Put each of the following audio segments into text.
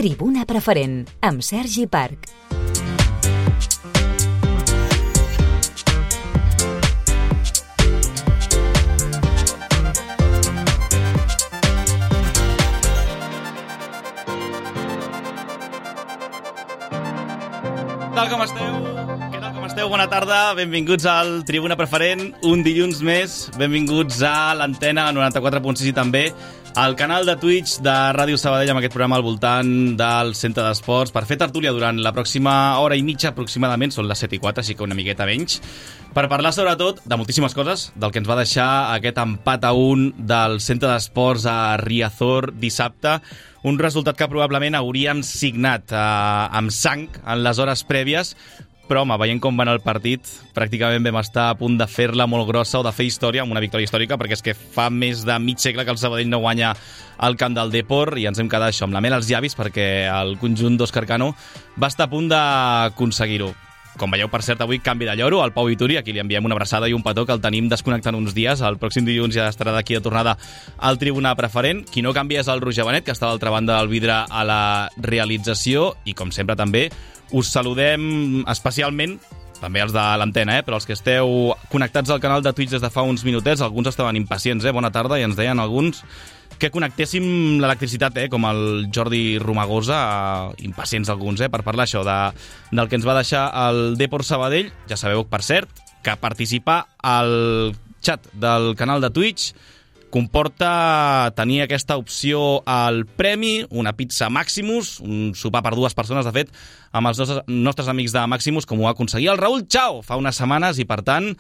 Tribuna Preferent, amb Sergi Parc. Què tal com esteu? Bona tarda, benvinguts al Tribuna Preferent, un dilluns més, benvinguts a l'antena 94.6 i també al canal de Twitch de Ràdio Sabadell amb aquest programa al voltant del Centre d'Esports per fer tertúlia durant la pròxima hora i mitja aproximadament, són les 7:04, així que una miqueta menys, per parlar sobretot de moltíssimes coses, del que ens va deixar aquest empat a 1 del Centre d'Esports a Riazor dissabte, un resultat que probablement hauríem signat amb sang en les hores prèvies, però home, veient com va anar el partit, pràcticament vam estar a punt de fer-la molt grossa o de fer història, amb una victòria històrica, perquè és que fa més de mig segle que el Sabadell no guanya al camp del Depor i ens hem quedat això amb la mel als llavis perquè el conjunt d'Òscar Cano va estar a punt d'aconseguir-ho. Com veieu, per cert, avui canvi de lloro, al Pau Vituri, a qui li enviem una abraçada i un petó, que el tenim desconnectant uns dies. El pròxim dilluns ja estarà d'aquí de tornada al Tribuna Preferent. Qui no canvia és el Roger Benet, que està a l'altra banda del vidre a la realització. I, com sempre, també us saludem especialment, també els de l'antena, però els que esteu connectats al canal de Twitch des de fa uns minutets, alguns estaven impacients, bona tarda, i ens deien alguns que connectéssim l'electricitat, com el Jordi Romagosa, impacients alguns, per parlar això del que ens va deixar el Depor Sabadell. Ja sabeu, per cert, que participar al xat del canal de Twitch comporta tenir aquesta opció al premi, una pizza Maximus, un sopar per 2 persones, de fet, amb els nostres amics de Maximus, com ho va aconseguir el Raül Chao fa unes setmanes, i per tant,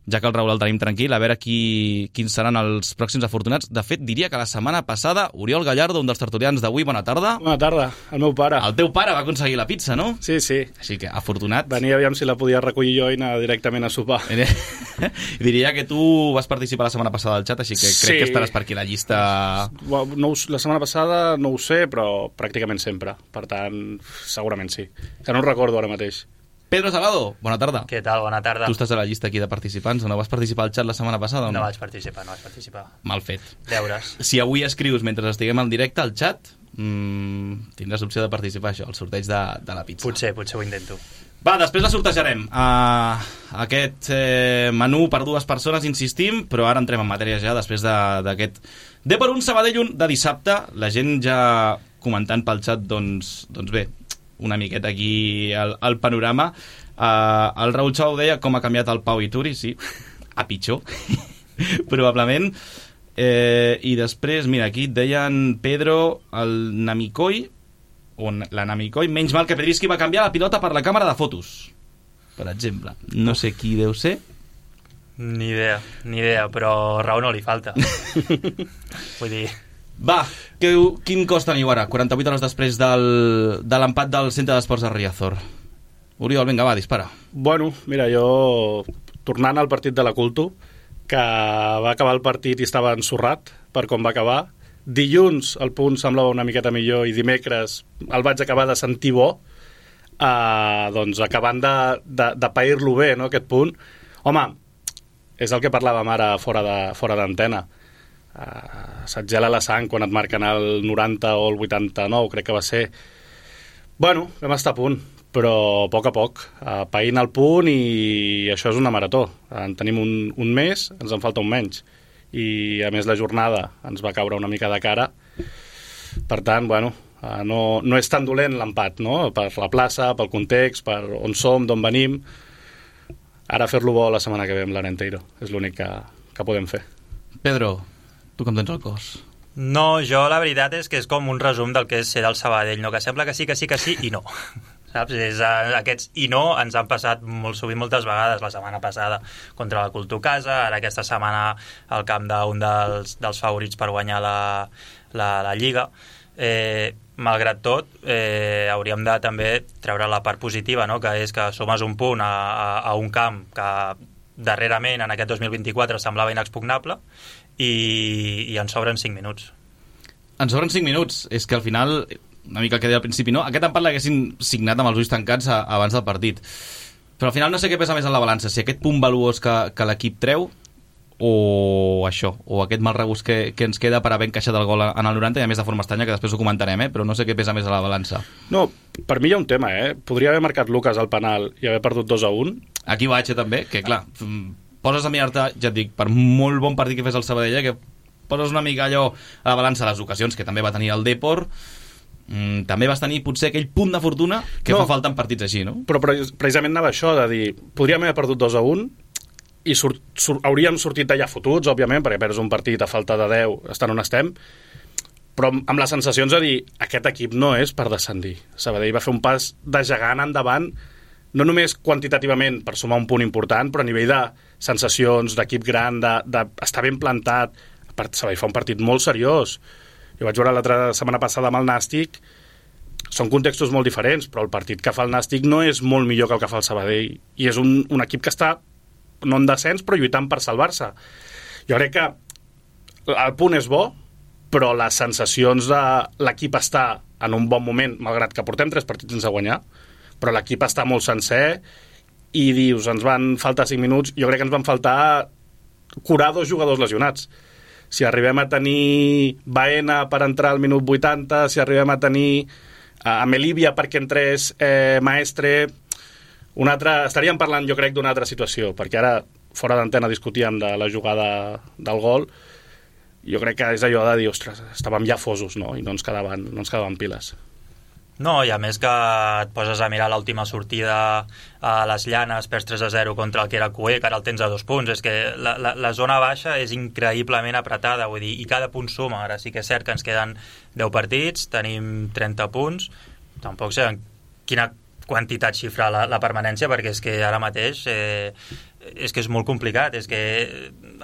ja que el Raül el tenim tranquil, a veure quins seran els pròxims afortunats. De fet, diria que la setmana passada, Oriol Gallardo, un dels tertulians d'avui, bona tarda. Bona tarda, el meu pare. El teu pare va aconseguir la pizza, no? Sí. Així que, afortunat. Venia aviam si la podia recollir jo i anar directament a sopar. Diria que tu vas participar la setmana passada al xat, així que crec que estaràs per aquí a la llista. La setmana passada no ho sé, però pràcticament sempre. Per tant, segurament sí. Que no ho recordo ara mateix. Pedro Salado, bona tarda. Què tal? Bona tarda. Tu estàs a la llista aquí de participants, o no vas participar al xat la setmana passada? No vaig participar. Mal fet. Deures. Si avui escrius mentre estiguem en directe al xat, tindràs l'opció de participar, això, al sorteig de la pizza. Potser ho intento. Va, després la sortejarem. Aquest menú per 2 persones, insistim, però ara entrem en matèria ja, després d'aquest Depor 1, Sabadell 1 de dissabte. La gent ja comentant pel xat, doncs bé, una miqueta aquí al panorama. El Raül Chao deia com ha canviat el Pau Vituri, sí, a pitjor, probablement. I després, mira, aquí et deien Pedro, el Namikoi, o la Namikoi, menys mal que Pedrischi va canviar la pilota per la càmera de fotos, per exemple. No sé qui deu ser. Ni idea, però raó no li falta. Vull dir... Va, quin cos teniu ara, 48 hores després de l'empat del Centre d'Esports de Riazor? Oriol, vinga, va, dispara. Bueno, mira, jo, tornant al partit de la Culto, que va acabar el partit i estava ensorrat per com va acabar, dilluns el punt semblava una miqueta millor i dimecres el vaig acabar de sentir bo, doncs acabant de pair-lo bé, no, aquest punt. Home, és el que parlàvem ara fora d'antena. Se't gela la sang quan et marquen el 90 o el 89, crec que va ser. Bueno, vam estar a punt, però a poc, païnt el punt, i això és una marató. En tenim un mes, ens en falta un menys, i a més la jornada ens va caure una mica de cara. Per tant, bueno, no és tan dolent l'empat, no? Per la plaça, pel context, per on som, d'on venim. Ara fer-lo bo la setmana que ve amb l'Arenteiro és l'únic que podem fer. Pedro, tu com tens el cos? No, jo la veritat és que és com un resum del que és ser del Sabadell, no? Que sembla que sí i no. Saps? Aquests i no ens han passat molt sovint, moltes vegades, la setmana passada contra la Culto Casa, ara aquesta setmana al camp d'un dels favorits per guanyar la Lliga. Malgrat tot, hauríem de també treure la part positiva, no? Que és que sumes un punt a un camp que darrerament en aquest 2024 semblava inexpugnable, i ens sobren 5 minuts. Ens sobren 5 minuts. És que al final, una mica el que deia al principi, no? Aquest empat l'haguessin signat amb els ulls tancats abans del partit. Però al final no sé què pesa més en la balança, si aquest punt valuós que l'equip treu o això, o aquest mal regust que ens queda per haver encaixat el gol en el 90, i a més de forma estranya, que després ho comentarem, però no sé què pesa més a la balança. No, per mi hi ha un tema, Podria haver marcat Lucas al penal i haver perdut 2-1. Aquí vaig, també, que clar, poses a mirar-te, ja et dic, per molt bon partit que fes el Sabadell, que poses una mica allò a la balança les ocasions que també va tenir el Depor, també vas tenir potser aquell punt de fortuna que fa falta en partits així, no? Però precisament anava això, de dir, podríem haver perdut 2-1 i hauríem sortit d'allà fotuts, òbviament, perquè perds un partit a falta de 10, estan on estem, però amb les sensacions de dir, aquest equip no és per descendir. Sabadell va fer un pas de gegant endavant, no només quantitativament per sumar un punt important, però a nivell de sensacions, d'equip gran, d'estar ben plantat. Sabadell fa un partit molt seriós. Jo vaig veure l'altra setmana passada amb el Nàstic, són contextos molt diferents, però el partit que fa el Nàstic no és molt millor que el que fa el Sabadell, i és un equip que està no en descens, però lluitant per salvar-se. Jo crec que el punt és bo, però les sensacions de l'equip està en un bon moment, malgrat que portem 3 partits sense guanyar, però l'equip està molt sencer i dius, ens van faltar 5 minuts, jo crec que ens van faltar curar 2 jugadors lesionats. Si arribem a tenir Baena per entrar al minut 80, si arribem a tenir a Melívia perquè entrés Maestre, estaríem parlant, jo crec, d'una altra situació, perquè ara, fora d'antena, discutíem de la jugada del gol. Jo crec que és allò de dir, ostres, estàvem ja fosos, no? I no ens quedaven piles. No, i a més que et poses a mirar l'última sortida a les Llanes, perds 3-0 contra el que era Cué, que ara el tens a 2 punts. És que la zona baixa és increïblement apretada, vull dir, i cada punt suma. Ara sí que és cert que ens queden 10 partits, tenim 30 punts, tampoc sé en quina quantitat xifrar la permanència, perquè és que ara mateix és que és molt complicat. És que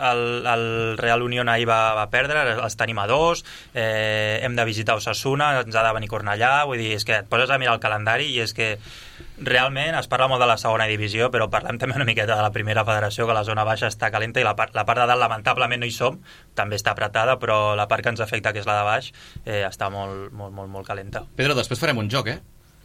el Real Unión ahir va perdre, els tenim a 2, hem de visitar Osasuna, ens ha de venir Cornellà, vull dir, és que et poses a mirar el calendari i és que realment es parla molt de la segona divisió, però parlem també una miqueta de la primera federació, que la zona baixa està calenta i la part de dalt lamentablement no hi som, també està apretada, però la part que ens afecta, que és la de baix, està molt, molt, molt, molt calenta. Pedro, després farem un joc,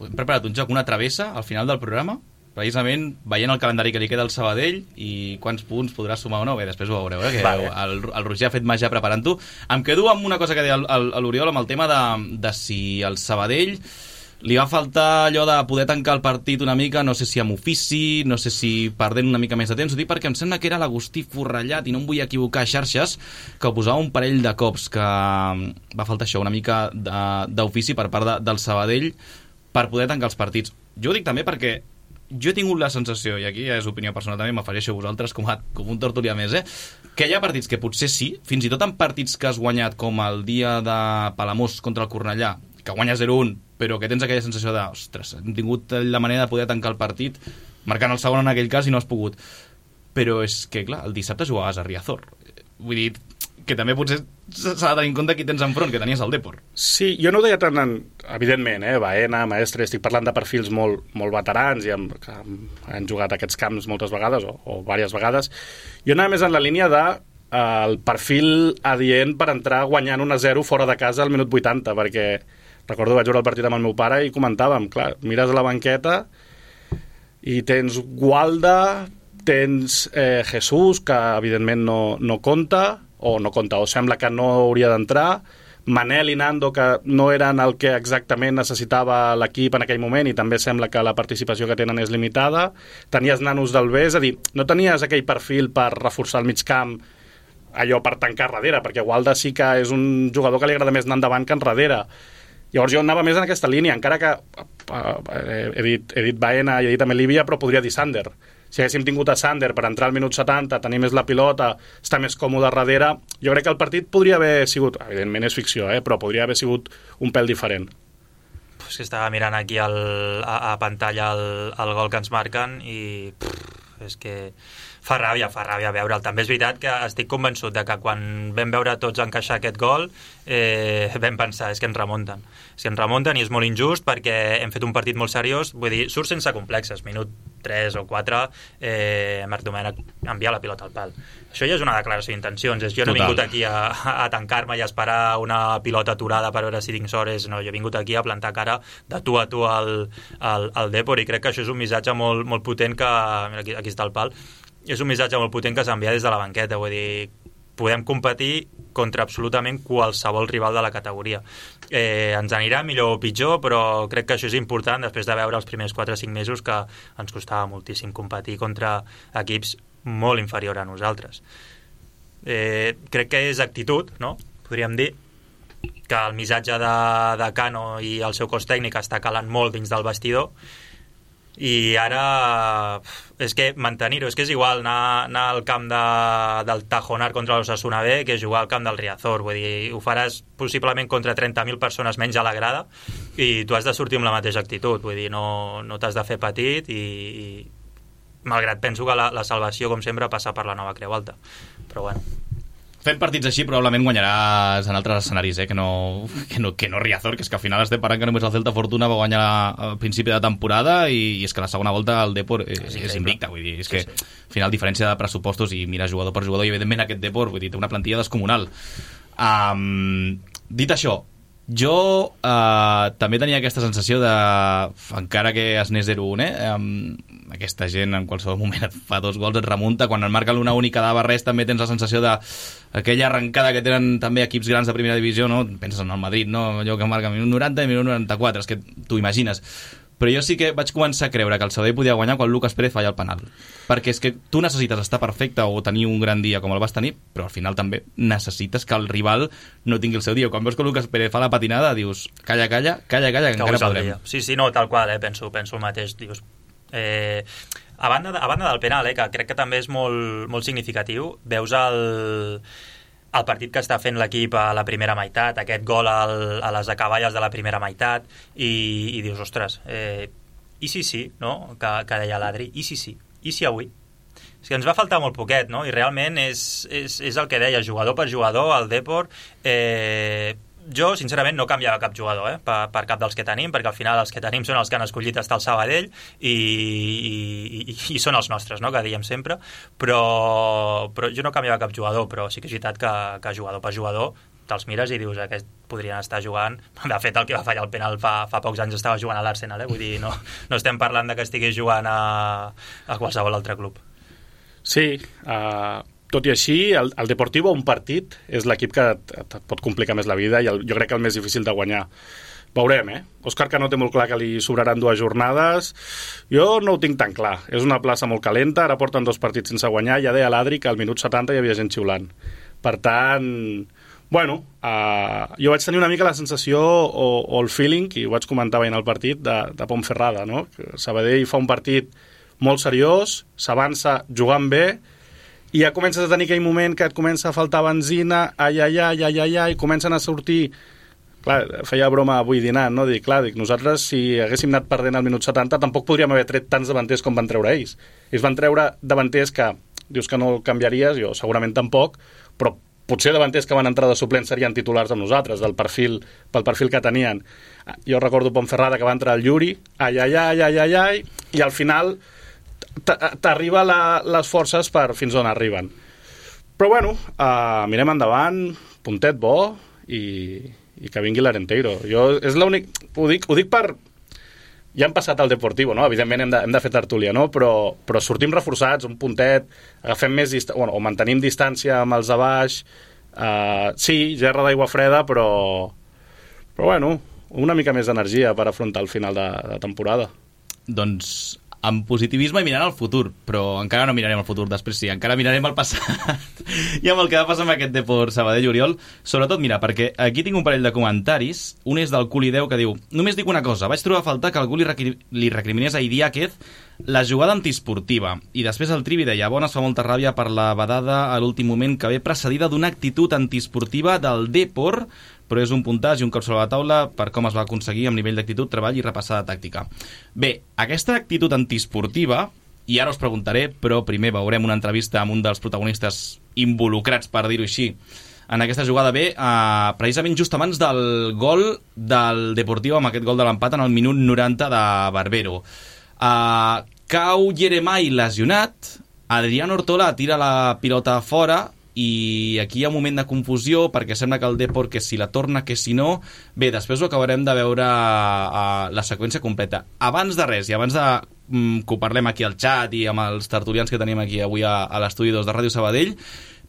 Hem preparat un joc, una travessa, al final del programa, precisament veient el calendari que li queda al Sabadell i quants punts podrà sumar o no. Bé, després ho veureu, que vale. El Roger ha fet màgia preparant-ho. Em quedo amb una cosa que deia l'Oriol, amb el tema de si el Sabadell li va faltar allò de poder tancar el partit una mica, no sé si amb ofici, no sé si perdent una mica més de temps, ho dic perquè em sembla que era l'Agustí Forrellat, i no em vull equivocar, xarxes, que ho posava un parell de cops, que va faltar això, una mica d'ofici per part del Sabadell per poder tancar els partits. Jo ho dic també perquè jo he tingut la sensació, i aquí ja és opinió personal també, m'afegeixo a vosaltres com un tertulià més, que hi ha partits que potser sí, fins i tot en partits que has guanyat, com el dia de Palamós contra el Cornellà, que guanyes 0-1, però que tens aquella sensació de, ostres, hem tingut la manera de poder tancar el partit, marcant el segon en aquell cas i no has pogut. Però és que, clar, el dissabte jugaves a Riazor. Vull dir, que també potser s'ha de tenir en compte qui tens enfront, que tenies el Depor. Sí, jo no ho deia tant, evidentment, Baena, Maestre, estic parlant de perfils molt, molt veterans i que han jugat aquests camps moltes vegades o diverses vegades. Jo anava més en la línia de el perfil adient per entrar guanyant 1-0 fora de casa al minut 80, perquè recordo vaig veure el partit amb el meu pare i comentàvem, clar, mires a la banqueta i tens Gualda, tens Jesús, que evidentment no compta, o sembla que no hauria d'entrar, Manel i Nando, que no eren el que exactament necessitava l'equip en aquell moment, i també sembla que la participació que tenen és limitada. Tenies nanos del B, és a dir, no tenies aquell perfil per reforçar el migcamp, allò per tancar darrere, perquè Gualda sí que és un jugador que li agrada més anar endavant que enrere. Llavors jo anava més en aquesta línia, encara que he dit Baena i he dit Melívia, però podria dir Sander. Si haguéssim tingut a Sander per entrar al minut 70, tenir més la pilota, estar més còmode darrere, jo crec que el partit podria haver sigut, evidentment és ficció, però podria haver sigut un pèl diferent. És que estava mirant aquí a pantalla el gol que ens marquen i és que fa ràbia veure'l. També és veritat que estic convençut de que quan vam veure tots encaixar aquest gol vam pensar, és que ens remunten i és molt injust perquè hem fet un partit molt seriós, vull dir, surt sense complexes, minut 3 o 4 Marc Domènech envia la pilota al pal. Això ja és una declaració d'intencions, jo no he vingut aquí a tancar-me i a esperar una pilota aturada per veure si tinc sort, no, jo he vingut aquí a plantar cara de tu a tu al Depor, i crec que això és un missatge molt, molt potent que, mira, aquí està el pal, és un missatge molt potent que s'envia des de la banqueta, vull dir, podem competir contra absolutament qualsevol rival de la categoria. Ens anirà millor o pitjor, però crec que això és important després de veure els primers 4 o 5 mesos que ens costava moltíssim competir contra equips molt inferior a nosaltres. Crec que és actitud, no? Podríem dir que el missatge de Cano i el seu cos tècnic està calant molt dins del vestidor, i ara és que mantenir-ho, és que és igual anar al camp del Tajonar contra l'Osasuna B que jugar al camp del Riazor, vull dir, ho faràs possiblement contra 30.000 persones menys a la grada i tu has de sortir amb la mateixa actitud, vull dir, no t'has de fer petit i malgrat penso que la salvació, com sempre, passa per la Nova Creu Alta, però bueno. Fent partits així probablement guanyaràs en altres escenaris, que no Riazor, que és que al final estem parlant que només el Celta Fortuna va guanyar al principi de temporada i és que la segona volta el Depor és invicta, vull dir, és que al final diferència de pressupostos i mira jugador per jugador i evidentment aquest Depor, vull dir, té una plantilla descomunal. Dit això, jo també tenia aquesta sensació de, encara que es anés 0-1, aquesta gent en qualsevol moment et fa 2 gols, et remunta, quan et marquen una única dava res també tens la sensació de aquella arrencada que tenen també equips grans de primera divisió, no? Penses en el Madrid, no? Allò que marca minut 90 i minut 94, és que t'ho imagines. Però jo sí que vaig començar a creure que el Sabadell podia guanyar quan Lucas Pérez falla el penal, perquè és que tu necessites estar perfecte o tenir un gran dia com el vas tenir, però al final també necessites que el rival no tingui el seu dia. Quan veus que Lucas Pérez fa la patinada dius, calla, que encara podrem. Sí, no, tal qual, penso el mateix, dius. A banda del penal, que crec que també és molt, molt significatiu, veus el partit que està fent l'equip a la primera meitat, aquest gol a les acaballes de la primera meitat, i dius, ostres, i sí, no? Que deia l'Adri, i si avui? És que ens va faltar molt poquet, no? I realment és el que deia, jugador per jugador, el Depor, jo, sincerament, no canviava cap jugador per cap dels que tenim, perquè al final els que tenim són els que han escollit estar al Sabadell i són els nostres, no? Que diem sempre, però jo no canviava cap jugador, però sí que és veritat que jugador per jugador te'ls mires i dius, aquest podrien estar jugant, de fet el que va fallar el penal fa pocs anys estava jugant a l'Arsenal, vull dir, no estem parlant de que estigués jugant a qualsevol altre club. Sí, tot i així, el Deportivo, un partit, és l'equip que et pot complicar més la vida i jo crec que el més difícil de guanyar. Veurem, Òscar Cano té molt clar que li sobraran 2 jornades. Jo no ho tinc tan clar. És una plaça molt calenta, ara porten 2 partits sense guanyar. Ja deia l'Adri que al minut 70 hi havia gent xiulant. Per tant, bueno, jo vaig tenir una mica la sensació o el feeling, i ho vaig comentar veient el partit, de Ponferrada, no? Sabadell fa un partit molt seriós, s'avança jugant bé, i ja comences a tenir aquell moment que et comença a faltar benzina, i comencen a sortir. Clar, feia broma avui dinant, no? Dic, nosaltres si haguéssim anat perdent al minut 70 tampoc podríem haver tret tants davanters com van treure ells. Ells van treure davanters que dius que no canviaries, jo segurament tampoc, però potser davanters que van entrar de suplents serien titulars amb nosaltres, pel perfil que tenien. Jo recordo Ponferrada que va entrar el Yuri, i al final t'arriba les forces fins on arriben. Però bueno, mirem endavant, puntet bo i que vingui l'Arenteiro. És l'únic, ho dic per... Ja hem passat al Deportivo, no? Evidentment hem de fer tertúlia, no? Però sortim reforçats, un puntet, agafem més o mantenim distància amb els de baix. Sí, gerra d'aigua freda, però bueno, una mica més d'energia per afrontar el final de temporada. Doncs amb positivisme i mirant al futur, però encara no mirarem al futur després, sí, encara mirarem al passat i amb el que va passar amb aquest Depor Sabadell Oriol. Sobretot, mira, perquè aquí tinc un parell de comentaris. Un és del Culideu que diu: només dic una cosa, vaig trobar a faltar que algú li recriminés a Idiáquez la jugada antiesportiva, i després el Trivi deia: Bones, fa molta ràbia per la badada a l'últim moment que ve precedida d'una actitud antiesportiva del Depor, però és un puntàs i un cop sobre la taula per com es va aconseguir amb nivell d'actitud, treball i repassada tàctica. Bé, aquesta actitud antiesportiva, i ara us preguntaré, però primer veurem una entrevista amb un dels protagonistes involucrats, per dir-ho així, en aquesta jugada. Bé, precisament just abans del gol del Deportivo, amb aquest gol de l'empat en el minut 90 de Barbero. Cau Jeremai lesionat, Adrián Ortola tira la pilota fora, i aquí hi ha un moment de confusió perquè sembla que el Depor, que si la torna, que si no. Bé, després ho acabarem de veure la seqüència completa. Abans de res i abans de que ho parlem aquí al xat i amb els tertulians que tenim aquí avui a l'estudi 2 de Ràdio Sabadell.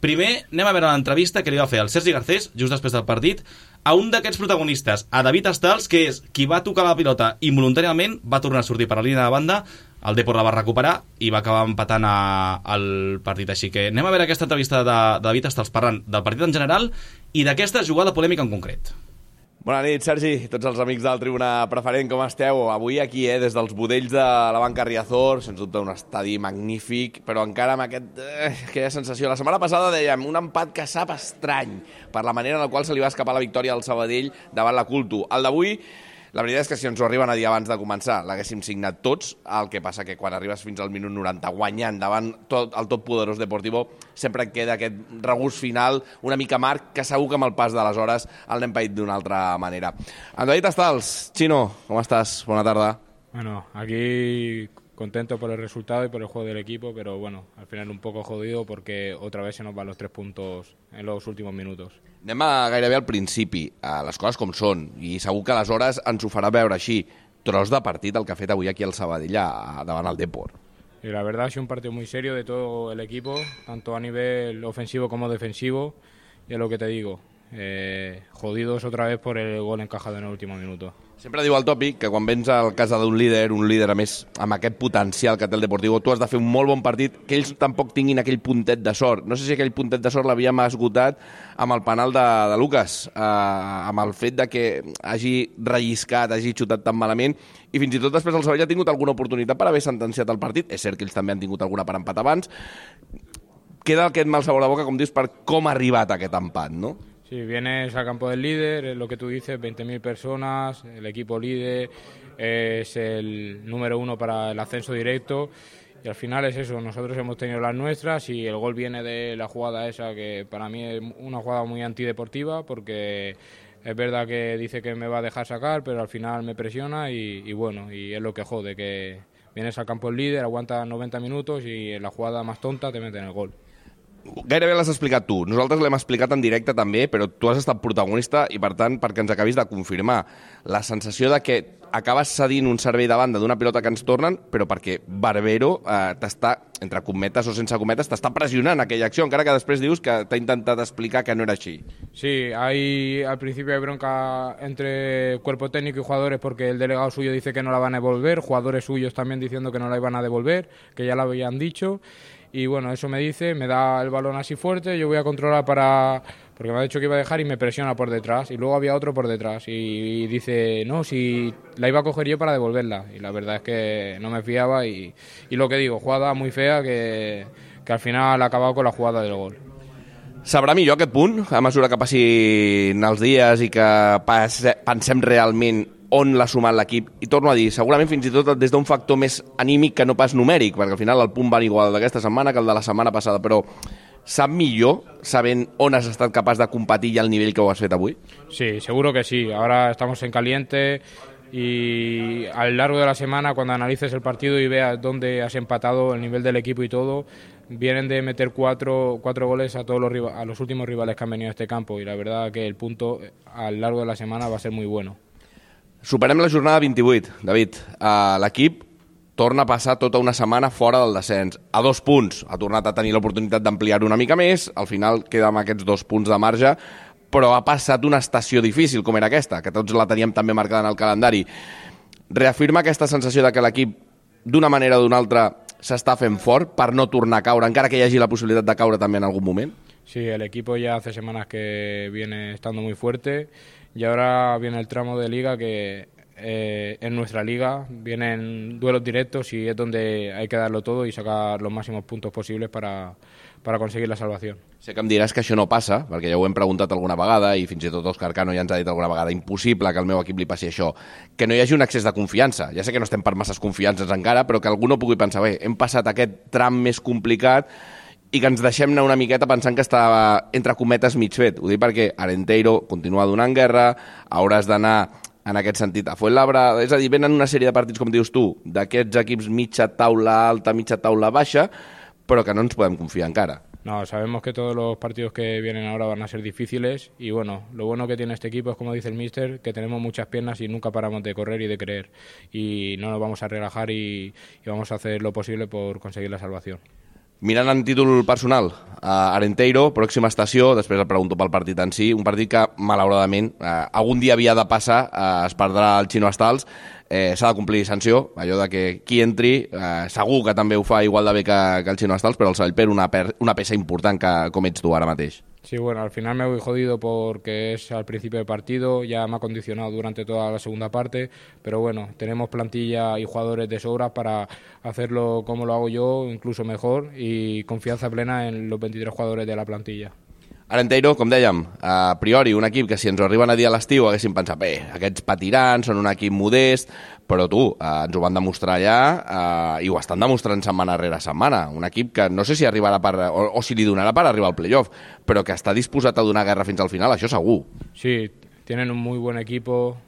Primer, anem a veure l'entrevista que li va fer el Sergi Garcés, just després del partit, a un d'aquests protagonistes, a David Estals, que és qui va tocar la pilota involuntàriament, va tornar a sortir per la línia de banda, el Depor la va recuperar i va acabar empatant el partit. Així que anem a veure aquesta entrevista de David Estals parlant del partit en general i d'aquesta jugada polèmica en concret. Bona nit, Sergi, tots els amics del Tribuna Preferent, com esteu? Avui aquí, des dels budells de la Banca Riazor, sens dubte un estadi magnífic, però encara amb aquella sensació. La setmana passada dèiem un empat que sap estrany per la manera en la qual se li va escapar la victòria al Sabadell davant la Culto. El d'avui, la veritat és que si ens ho arriben a dir abans de començar, l'haguéssim signat tots, el que passa que quan arribes fins al minut 90 guanyant davant el tot poderós Deportivo, sempre et queda aquest regust final una mica amarg, que segur que amb el pas de les hores el n'hem paït d'una altra manera. En David Estals, Chino, com estàs? Bona tarda. Bueno, aquí contento por el resultado y por el juego del equipo, pero bueno, al final un poco jodido porque otra vez se nos van los 3 puntos en los últimos minutos. Anem gairebé al principi, a les coses com són, i segur que aleshores ens ho farà veure així. Tros de partit el que ha fet avui aquí al Sabadell davant el Depor. Y la verdad ha sido un partido muy serio de todo el equipo, tanto a nivel ofensivo como defensivo, y es lo que te digo, jodidos otra vez por el gol encajado en el último minuto. Sempre diu el tòpic que quan vens a casa d'un líder a més amb aquest potencial que té el Deportivo, tu has de fer un molt bon partit, que ells tampoc tinguin aquell puntet de sort. No sé si aquell puntet de sort l'havíem esgotat amb el penal de Lucas, amb el fet de que hagi relliscat, hagi xutat tan malament, i fins i tot després el Sabadell ha tingut alguna oportunitat per haver sentenciat el partit. És cert que ells també han tingut alguna per empat abans. Queda aquest mal sabor de boca, com dius, per com ha arribat aquest empat, no? Sí, vienes al campo del líder, es lo que tú dices, 20.000 personas, el equipo líder, es el número 1 para el ascenso directo y al final es eso, nosotros hemos tenido las nuestras y el gol viene de la jugada esa que para mí es una jugada muy antideportiva porque es verdad que dice que me va a dejar sacar, pero al final me presiona y bueno, y es lo que jode, que vienes al campo del líder, aguantas 90 minutos y en la jugada más tonta te meten el gol. Gairebé l'has explicat tu. Nosaltres l'hem explicat en directe també, però tu has estat protagonista i, per tant, perquè ens acabis de confirmar la sensació de que acabes cedint un servei de banda d'una pilota que ens tornen, però perquè Barbero t'està, entre cometes o sense cometes, t'està pressionant aquella acció, encara que després dius que t'ha intentat explicar que no era així. Sí, al principio hay bronca entre cuerpo técnico y jugadores porque el delegado suyo dice que no la van a devolver, jugadores suyos también diciendo que no la iban a devolver, que ya la habían dicho. Y bueno, eso me dice, me da el balón así fuerte, yo voy a controlar porque me ha dicho que iba a dejar y me presiona por detrás. Y luego había otro por detrás y dice, no, si la iba a coger yo para devolverla. Y la verdad es que no me fiaba y lo que digo, jugada muy fea que al final ha acabado con la jugada del gol. Sabrà millor aquest punt, a mesura que passin els dies i que pensem realment on l'ha sumat l'equip, i torno a dir, segurament fins i tot des d'un factor més anímic que no pas numèric, perquè al final el punt va igual d'aquesta setmana que el de la setmana passada, però sap millor sabent on has estat capaç de competir i el nivell que ho has fet avui? Sí, seguro que sí, ahora estamos en caliente y a lo largo de la semana cuando analices el partido y veas dónde has empatado, el nivel del equipo y todo, vienen de meter cuatro goles a a los últimos rivales que han venido a este campo y la verdad que el punto a lo largo de la semana va a ser muy bueno. Superem la jornada 28, David. L'equip torna a passar tota una setmana fora del descens. A 2 punts. Ha tornat a tenir l'oportunitat d'ampliar-ho una mica més. Al final queda amb aquests 2 punts de marge, però ha passat una estació difícil com era aquesta, que tots la teníem també marcada en el calendari. Reafirma aquesta sensació de que l'equip, d'una manera o d'una altra, s'està fent fort per no tornar a caure, encara que hi hagi la possibilitat de caure també en algun moment? Sí, el equipo ya hace semanas que viene estando muy fuerte y ahora viene el tramo de liga que en nuestra liga vienen duelos directos y es donde hay que darlo todo y sacar los máximos puntos posibles para conseguir la salvación. Sé que em diràs que això no passa, perquè ja ho hem preguntat alguna vegada i fins i tot Òscar Cano ja ens ha dit alguna vegada, impossible que al meu equip li passi això, que no hi hagi un excés de confiança. Ja sé que no estem per masses confiances encara, però que algú no pugui pensar, bé, hem passat aquest tram més complicat i que ens deixem anar una miqueta pensant que estava, entre cometes, mig fet. Ho dic perquè Arenteiro continua donant guerra, hauràs d'anar en aquest sentit a Fuenlabrada, és a dir, venen una sèrie de partits, com dius tu, d'aquests equips mitja taula alta, mitja taula baixa, però que no ens podem confiar encara. No, sabemos que todos los partidos que vienen ahora van a ser difíciles y bueno, lo bueno que tiene este equipo es, como dice el míster, que tenemos muchas piernas y nunca paramos de correr y de creer y no nos vamos a relajar y vamos a hacer lo posible por conseguir la salvación. Mirant en títol personal, Arenteiro, pròxima estació, després el pregunto pel partit en si, un partit que, malauradament, algun dia havia de passar, es perdrà el Chino Astals, s'ha de complir sanció, allò de que qui entri, segur que també ho fa igual de bé que el Chino Astals, però el Sabadell perd una peça important com ets tu ara mateix. Sí, bueno, al final me voy jodido porque es al principio del partido, ya me ha condicionado durante toda la segunda parte, pero bueno, tenemos plantilla y jugadores de sobra para hacerlo como lo hago yo, incluso mejor, y confianza plena en los 23 jugadores de la plantilla. Arenteiro, com dèiem, a priori un equip que si ens ho arriben a dir a l'estiu haguéssim pensat, aquests patiran, són un equip modest, però ens ho van demostrar allà i ho estan demostrant setmana rere setmana. Un equip que no sé si arribarà o si li donarà per arribar al playoff, però que està disposat a donar guerra fins al final, això segur. Sí, tienen un muy buen equipo,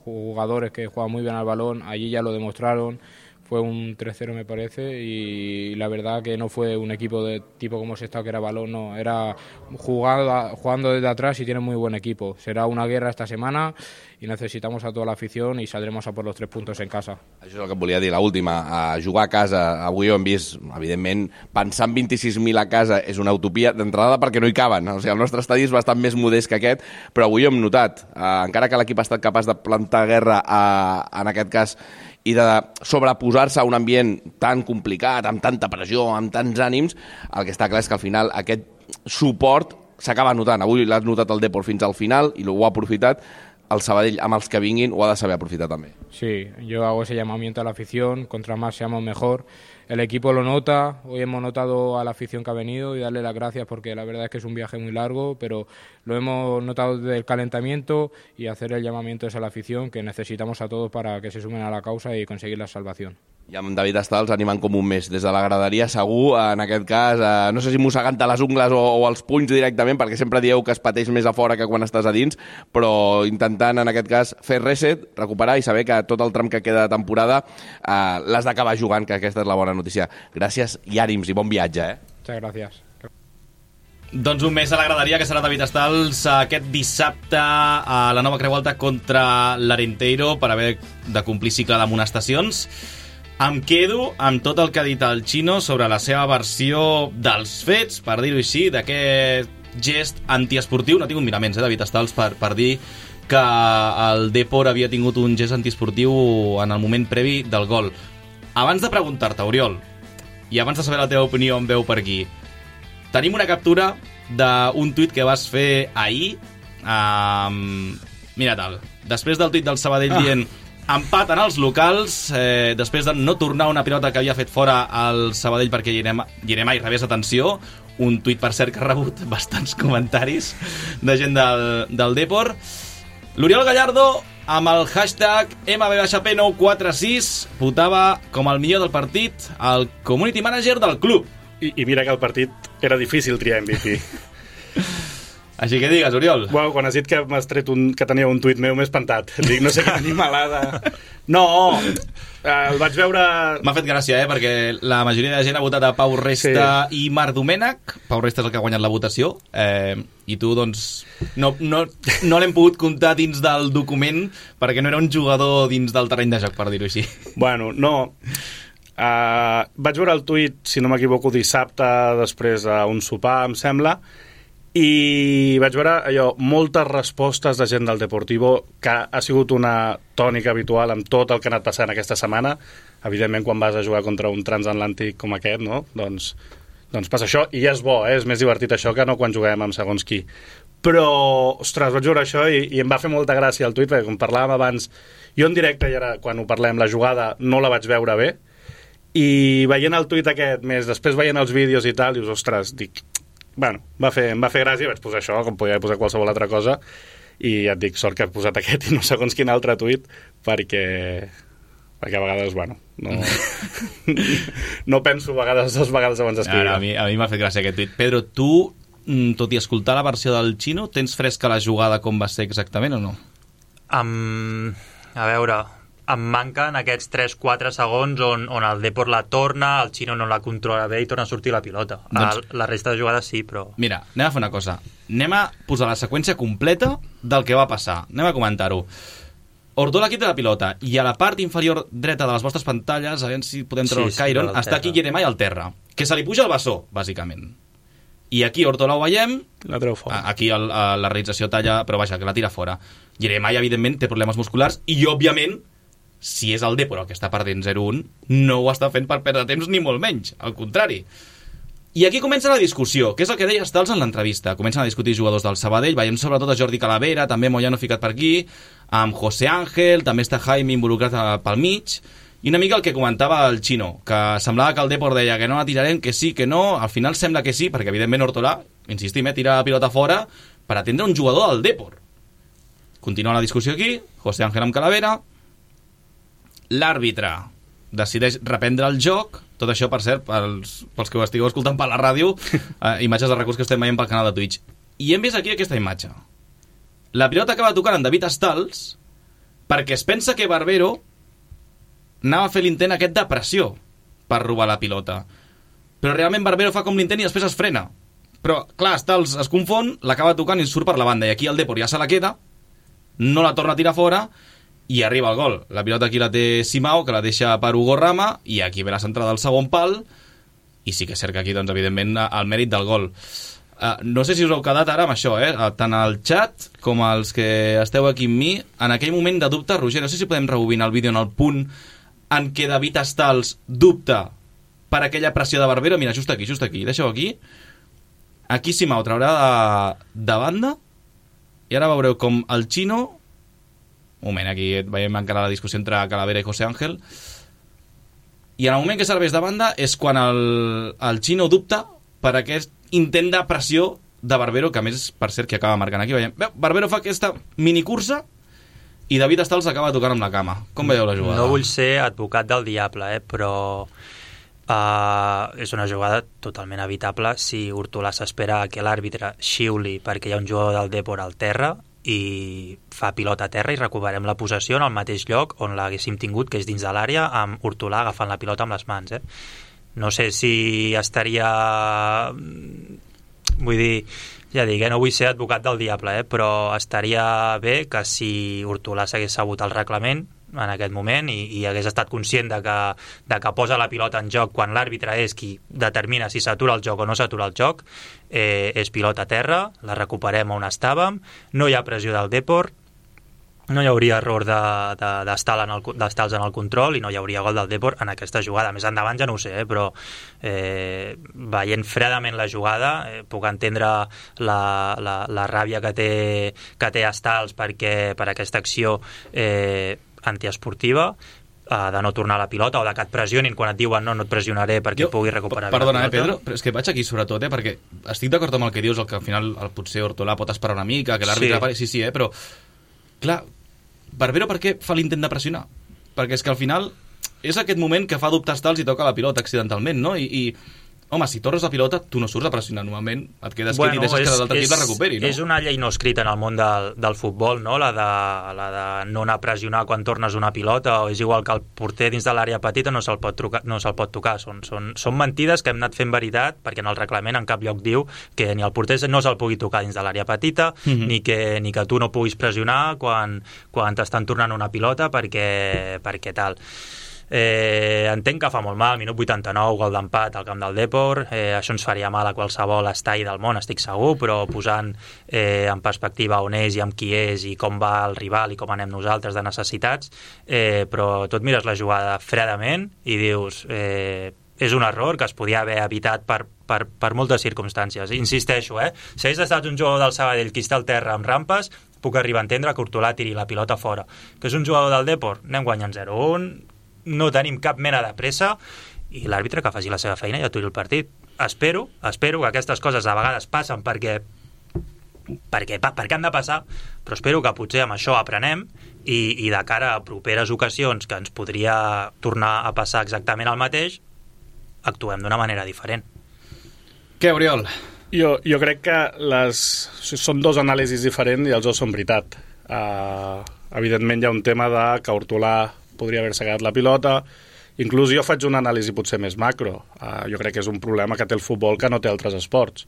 jugadores que juegan muy bien al balón, allí ya lo demostraron. Fue un 3-0 me parece y la verdad que no fue un equipo de tipo como se está, que era balón, no, era jugando desde atrás y tiene muy buen equipo. Será una guerra esta semana y necesitamos a toda la afición y saldremos a por los 3 puntos en casa. Això és el que et volia dir, l'última, a jugar a casa. Avui ho hem vist, evidentment, pensar en 26.000 a casa és una utopia d'entrada perquè no hi caben. O sigui, el nostre estadi és bastant més modest que aquest, però avui ho hem notat. Encara que l'equip ha estat capaç de plantar guerra en aquest cas i de sobreposar-se a un ambient tan complicat, amb tanta pressió, amb tants ànims, el que està clar és que al final aquest suport s'acaba notant. Avui l'has notat el Depor fins al final i ho ha aprofitat. El Sabadell, amb els que vinguin, ho ha de saber aprofitar també. Sí, yo hago ese llamamiento a la afición, contra más seamos mejor. El equipo lo nota, hoy hemos notado a la afición que ha venido y darle las gracias porque la verdad es que es un viaje muy largo, pero lo hemos notado desde el calentamiento y hacer el llamamiento es a la afición, que necesitamos a todos para que se sumen a la causa y conseguir la salvación. I amb David Astals animant com un mes des de la graderia, segur, en aquest cas, no sé si mossegant-te les ungles o els punys directament, perquè sempre dieu que es pateix més a fora que quan estàs a dins, però intentant, en aquest cas, fer reset, recuperar i saber que tot el tram que queda de temporada l'has d'acabar jugant, que aquesta és la bona notícia. Gràcies i ànims i bon viatge, Muchas gracias. Doncs un mes a la graderia, que serà David Astals aquest dissabte a la Nova Creu Alta contra l'Arenteiro per haver de complir cicle d'amonestacions. Em quedo amb tot el que ha dit el Chino sobre la seva versió dels fets, per dir-ho així, d'aquest gest antiesportiu. No ha tingut miraments, David Astals, per dir que el Depor havia tingut un gest antiesportiu en el moment previ del gol. Abans de preguntar-te, Oriol, i abans de saber la teva opinió en veu per aquí, tenim una captura d'un tuit que vas fer ahir. Mira tal, després del tuit del Sabadell dient empaten els locals, després de no tornar una pilota que havia fet fora al Sabadell perquè Yeremai rebés atenció, un tuit per cert que ha rebut bastants comentaris de gent del Depor. L'Oriol Gallardo amb el hashtag MBP946 votava com el millor del partit el community manager del club. I mira que el partit era difícil triar MVP. Així que digues, Oriol. Bueno, quan has dit que m'has tret que tenia un tuit meu, m'he espantat. Dic, no sé quina animalada. No, el vaig veure... M'ha fet gràcia, perquè la majoria de gent ha votat a Pau Resta i Marc Domènech. Pau Resta és el que ha guanyat la votació. I tu, doncs, no l'hem pogut comptar dins del document perquè no era un jugador dins del terreny de joc, per dir-ho així. Bueno, no... vaig veure el tuit, si no m'equivoco, dissabte després d'un sopar, em sembla, i vaig veure moltes respostes de gent del Deportivo, que ha sigut una tònica habitual amb tot el que ha anat passant aquesta setmana. Evidentment, quan vas a jugar contra un transatlàntic com aquest, no? Doncs passa això, i és bo, és més divertit això que no quan juguem amb segons qui. Però, ostres, vaig veure això i em va fer molta gràcia el tuit, perquè com parlàvem abans, jo en directe, i ara quan ho parlem, la jugada no la vaig veure bé, i veient el tuit aquest, més després veient els vídeos i tal, dius, ostres, dic... Bueno, em va fer gràcia, vaig posar això, com podia posar qualsevol altra cosa, i ja et dic, sort que he posat aquest i no segons quin altre tuit, perquè a vegades, bueno, no penso dues vegades abans d'escriure. A mi m'ha fet gràcia aquest tuit. Pedro, tu, tot i escoltar la versió del Chino, tens fresca la jugada com va ser exactament o no? A veure, em manquen aquests 3-4 segons on el Depor la torna, el Chino no la controla bé i torna a sortir la pilota. La resta de jugades sí, però... Mira, anem a fer una cosa. Anem a posar la seqüència completa del que va passar. Anem a comentar-ho. Ortola quita la pilota i a la part inferior dreta de les vostres pantalles, a veure si podem treure el Cairon, està aquí Jeremai al terra, que se li puja el bessó, bàsicament. I aquí Ortola ho veiem, la treu fora. Aquí la realització talla, però vaja, que la tira fora. Jeremai, evidentment, té problemes musculars i, òbviament, si és el Depor el que està perdent 0-1, no ho està fent per perdre temps ni molt menys, al contrari. I aquí comença la discussió, que és el que deia Stals en l'entrevista. Comencen a discutir jugadors del Sabadell, veiem sobretot a Jordi Calavera, també Moyano ficat per aquí, amb José Ángel, també està Jaime involucrat pel mig, i una mica el que comentava el Chino, que semblava que el Depor deia que no la tirarem, que sí, que no, al final sembla que sí, perquè evidentment Ortolà, insistim, tira la pilota fora per atendre un jugador del Depor. Continua la discussió aquí, José Ángel amb Calavera, l'àrbitre decideix reprendre el joc, tot això, per cert, pels que ho estigueu escoltant per la ràdio, imatges de recurs que estem veient pel canal de Twitch. I hem vist aquí aquesta imatge. La pilota acaba tocant en David Stals perquè es pensa que Barbero anava a fer l'intent aquest de pressió per robar la pilota. Però realment Barbero fa com l'intent i després es frena. Però, clar, Stals es confon, l'acaba tocant i surt per la banda. I aquí el Depor ja se la queda, no la torna a tirar fora, i arriba el gol. La pilota aquí la té Simao, que la deixa per Hugo Rama, i aquí ve la centrada del segon pal, i sí que és cert que aquí, doncs, evidentment, el mèrit del gol. No sé si us heu quedat ara amb això, tant al xat com els que esteu aquí amb mi, en aquell moment de dubte, Roger, no sé si podem rebobinar el vídeo en el punt en què David Stals dubta per aquella pressió de Barbero. Mira, just aquí, deixeu aquí. Aquí Simao traurà de banda, i ara veureu com el Chino... Un moment, aquí veiem encara la discussió entre Calavera i José Ángel. I en el moment que serveix de banda és quan el Chino dubta per aquest intent de pressió de Barbero, que a més, per cert, que acaba marcant aquí. Veiem, Barbero fa aquesta minicursa i David Stals acaba tocant amb la cama. Com veieu la jugada? No vull ser advocat del diable, però és una jugada totalment evitable si Ortolà s'espera que l'àrbitre xiuli perquè hi ha un jugador del Depor al terra i fa pilota a terra i recuperem la possessió en el mateix lloc on l'haguéssim tingut, que és dins de l'àrea, amb Ortolà agafant la pilota amb les mans. No sé si estaria... Vull dir, ja dic, no vull ser advocat del diable, però estaria bé que si Ortolà s'hagués sabut el reglament en aquest moment i hagués estat conscient de que posa la pilota en joc quan l'àrbitre és qui determina si s'atura el joc o no s'atura el joc, és pilota a terra, la recuperem on estàvem, no hi ha pressió del Depor, no hi hauria error d'Stals en el control i no hi hauria gol del Depor en aquesta jugada. Més endavant ja no ho sé, però veient fredament la jugada puc entendre la ràbia que té Stals per aquesta acció antiesportiva, de no tornar a la pilota o de que et pressionin quan et diuen no et pressionaré perquè pugui recuperar perdona, Pedro, però és que vaig aquí sobretot, perquè estic d'acord amb el que dius, el que al final potser Ortolà pot esperar una mica, que l'àrbitre sí, però clar, Barbero per què fa l'intent de pressionar? Perquè és que al final és aquest moment que fa dubtar Stals i toca la pilota accidentalment, no? I home, si torres la pilota, tu no surts a pressionar normalment, et quedes quiet i deixes que l'altre equip la recuperi, no? És una llei no escrita en el món del futbol, no? La de no anar a pressionar quan tornes una pilota, o és igual que el porter dins de l'àrea petita no se'l pot tocar. Són mentides que hem anat fent veritat, perquè en el reglament en cap lloc diu que ni el porter no se'l pugui tocar dins de l'àrea petita, ni que tu no puguis pressionar quan t'estan tornant una pilota perquè tal. Entenc que fa molt mal, minut 89, gol d'empat al camp del Depor, això ens faria mal a qualsevol estall del món, estic segur, però posant en perspectiva on és i amb qui és i com va el rival i com anem nosaltres de necessitats, però tu et mires la jugada fredament i dius és un error que es podia haver evitat per moltes circumstàncies. Insisteixo, si hagués estat un jugador del Sabadell que està al terra amb rampes, puc arribar a entendre que Ortolà tiri la pilota fora. Que és un jugador del Depor, anem guanyant 0-1, no tenim cap mena de pressa i l'àrbitre que faci la seva feina i aturi el partit. Espero que aquestes coses a vegades passen perquè han de passar, però espero que potser amb això aprenem i de cara a properes ocasions que ens podria tornar a passar exactament el mateix, actuem d'una manera diferent. Què, Oriol? Jo crec que són dos anàlisis diferents i els dos són veritat. Evidentment hi ha un tema de que Ortolà podria haver-se quedat la pilota. Inclús jo faig una anàlisi potser més macro. Jo crec que és un problema que té el futbol que no té altres esports.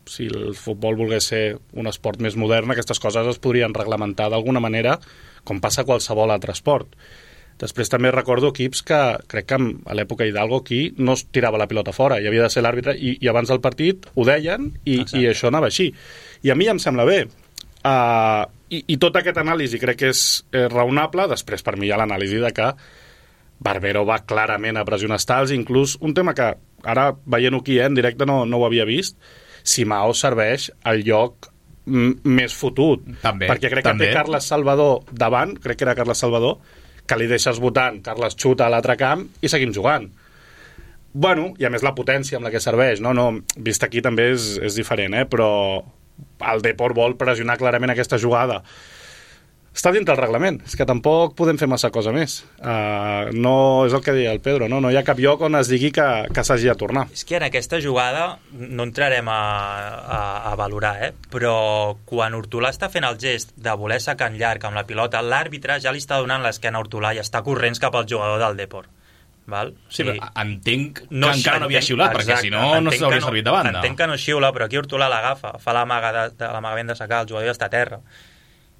Si el futbol volgués ser un esport més modern, aquestes coses es podrien reglamentar d'alguna manera, com passa a qualsevol altre esport. Després també recordo equips que, crec que a l'època Hidalgo aquí no es tirava la pilota fora, hi havia de ser l'àrbitre, i abans del partit ho deien, i això anava així. I a mi em sembla bé. I tot aquest anàlisi crec que és raonable. Després per mi hi ha l'anàlisi de que Barbero va clarament a pressionar Stals, inclús un tema que ara veient-ho aquí en directe no ho havia vist, Simao serveix al lloc més fotut. També, perquè crec que té Carles Salvador davant, crec que era Carles Salvador, que li deixes votant, Carles xuta a l'altre camp i seguim jugant. Bueno, i a més la potència amb la que serveix, no, vist aquí també és diferent, però el Depor vol pressionar clarament aquesta jugada. Està dintre el reglament, és que tampoc podem fer massa cosa més. No és el que deia el Pedro, no hi ha cap lloc on es digui que s'hagi de tornar. És que en aquesta jugada no entrarem a valorar, però quan Hortolà està fent el gest de voler sacar en llarg amb la pilota, l'àrbitre ja li està donant l'esquena a Hortolà i està corrents cap al jugador del Depor. Val? Sí, però entenc que encara no havia xiulat, perquè si no s'hauria servit de banda. Entenc que no xiula, però aquí Hortolà l'agafa, fa l'amagament de sacar, el jugador ja està a terra.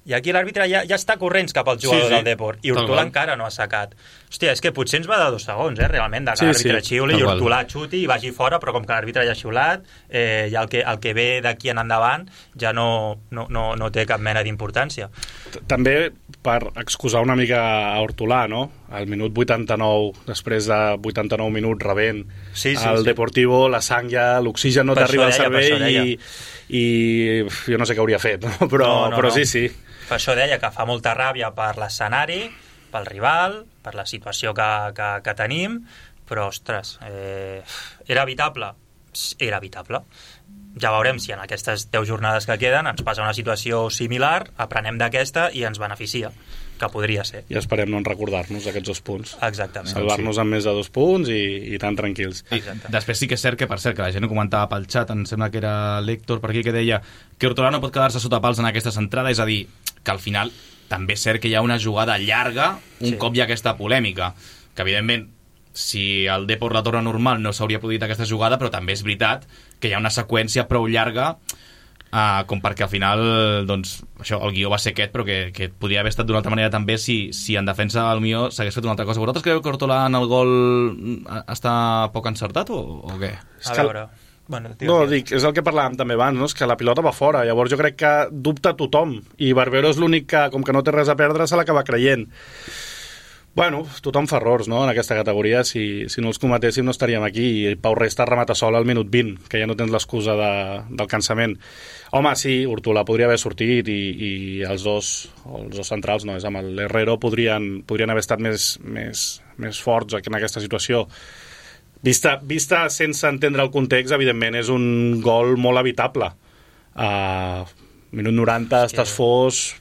I aquí l'àrbitre ja està corrents cap al jugador del Depor, i Hortolà encara no ha sacat. Hòstia, és que potser ens va de 2 segons, realment, de que l'àrbitre xiuli i Hortolà xuti i vagi fora, però com que l'àrbitre ja ha xiulat, ja el que ve d'aquí en endavant ja no té cap mena d'importància. També per excusar una mica a Hortolà, no? Al minut 89, després de 89 minuts rebent el Deportivo, la sang ja, l'oxigen no t'arriba al cervell i jo no sé què hauria fet, no? Però sí. Per això deia que fa molta ràbia per l'escenari, pel rival, per la situació que tenim, però, ostres, era evitable? Era evitable. Ja veurem si en aquestes 10 jornades que queden ens passa una situació similar, aprenem d'aquesta i ens beneficia, que podria ser. I esperem no recordar-nos aquests 2 punts. Exactament. Salvar-nos amb més de 2 punts i tan tranquils. Després sí que és cert que, per cert, que la gent ho comentava pel xat, em sembla que era l'Héctor per aquí que deia que Hortolà no pot quedar-se sota pals en aquesta centrada, és a dir, que al final també és cert que hi ha una jugada llarga un cop hi ha aquesta polèmica, que evidentment si el Depor la torna normal no s'hauria produït aquesta jugada, però també és veritat que hi ha una seqüència prou llarga com perquè al final doncs, això, el guió va ser aquest, però que podria haver estat d'una altra manera també si en defensa el millor s'hagués fet una altra cosa. Vosaltres creieu que Hortolà en el gol està poc encertat o què? A veure... dic, és el que parlàvem també abans, no? És que la pilota va fora, llavors jo crec que dubta tothom i Barbero és l'únic que, com que no té res a perdre, se l'acaba creient. Bueno, tothom fa errors, no?, en aquesta categoria. Si no els cometéssim no estaríem aquí, i Pau Resta remata sol al minut 20, que ja no tens l'excusa del cansament. Home, sí, Hortolà podria haver sortit i els dos centrals, no, és amb l'Herrero, podrien haver estat més forts en aquesta situació. Vista sense entendre el context, evidentment és un gol molt evitable. Minut 90, estàs fos...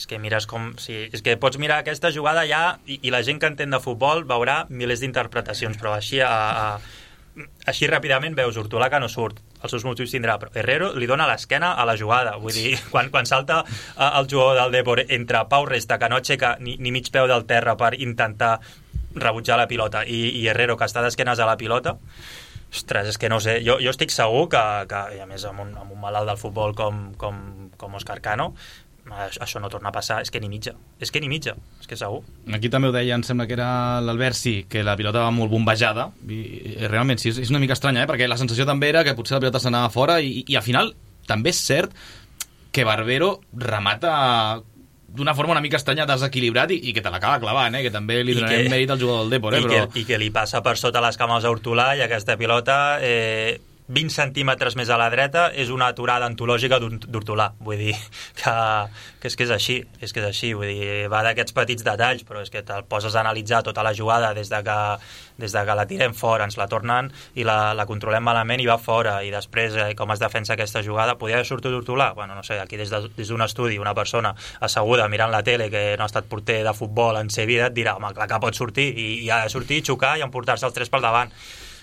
És que mires com... Sí, és que pots mirar aquesta jugada ja i la gent que entén de futbol veurà milers d'interpretacions, però així ràpidament veus Hortolà que no surt, els seus motius tindrà, però Herrero li dona l'esquena a la jugada, vull dir, quan salta el jugador del Depor entre Pau Resta, que no aixeca ni mig peu del terra per intentar rebutjar la pilota, i Herrero, que està d'esquenes a la pilota, ostres, és que no sé, jo estic segur que i a més amb un malalt del futbol com Òscar Cano, això no torna a passar, és que ni mitja, és que segur. Aquí també ho deia, em sembla que era l'Albert, sí, que la pilota va molt bombejada, i realment sí, és una mica estranya, perquè la sensació també era que potser la pilota s'anava fora, i al final també és cert que Barbero remata d'una forma una mica estranya, desequilibrat, i que te l'acaba clavant, que també li donarem mèrit al jugador del Depor, però... I que li passa per sota les cames a Hortolà, i aquesta pilota 20 centímetres més a la dreta és una aturada antològica d'Hortolà, vull dir que és així, vull dir, va d'aquests petits detalls, però és que te'l poses a analitzar tota la jugada des de que la tirem fora, ens la tornen i la controlem malament i va fora, i després com es defensa aquesta jugada, podria haver sortit Hortolà? Bueno, no sé, aquí des d'un estudi una persona asseguda mirant la tele que no ha estat porter de futbol en sa vida et dirà, home, clar que pot sortir, i ha de sortir, xocar i emportar-se els 3 pel davant.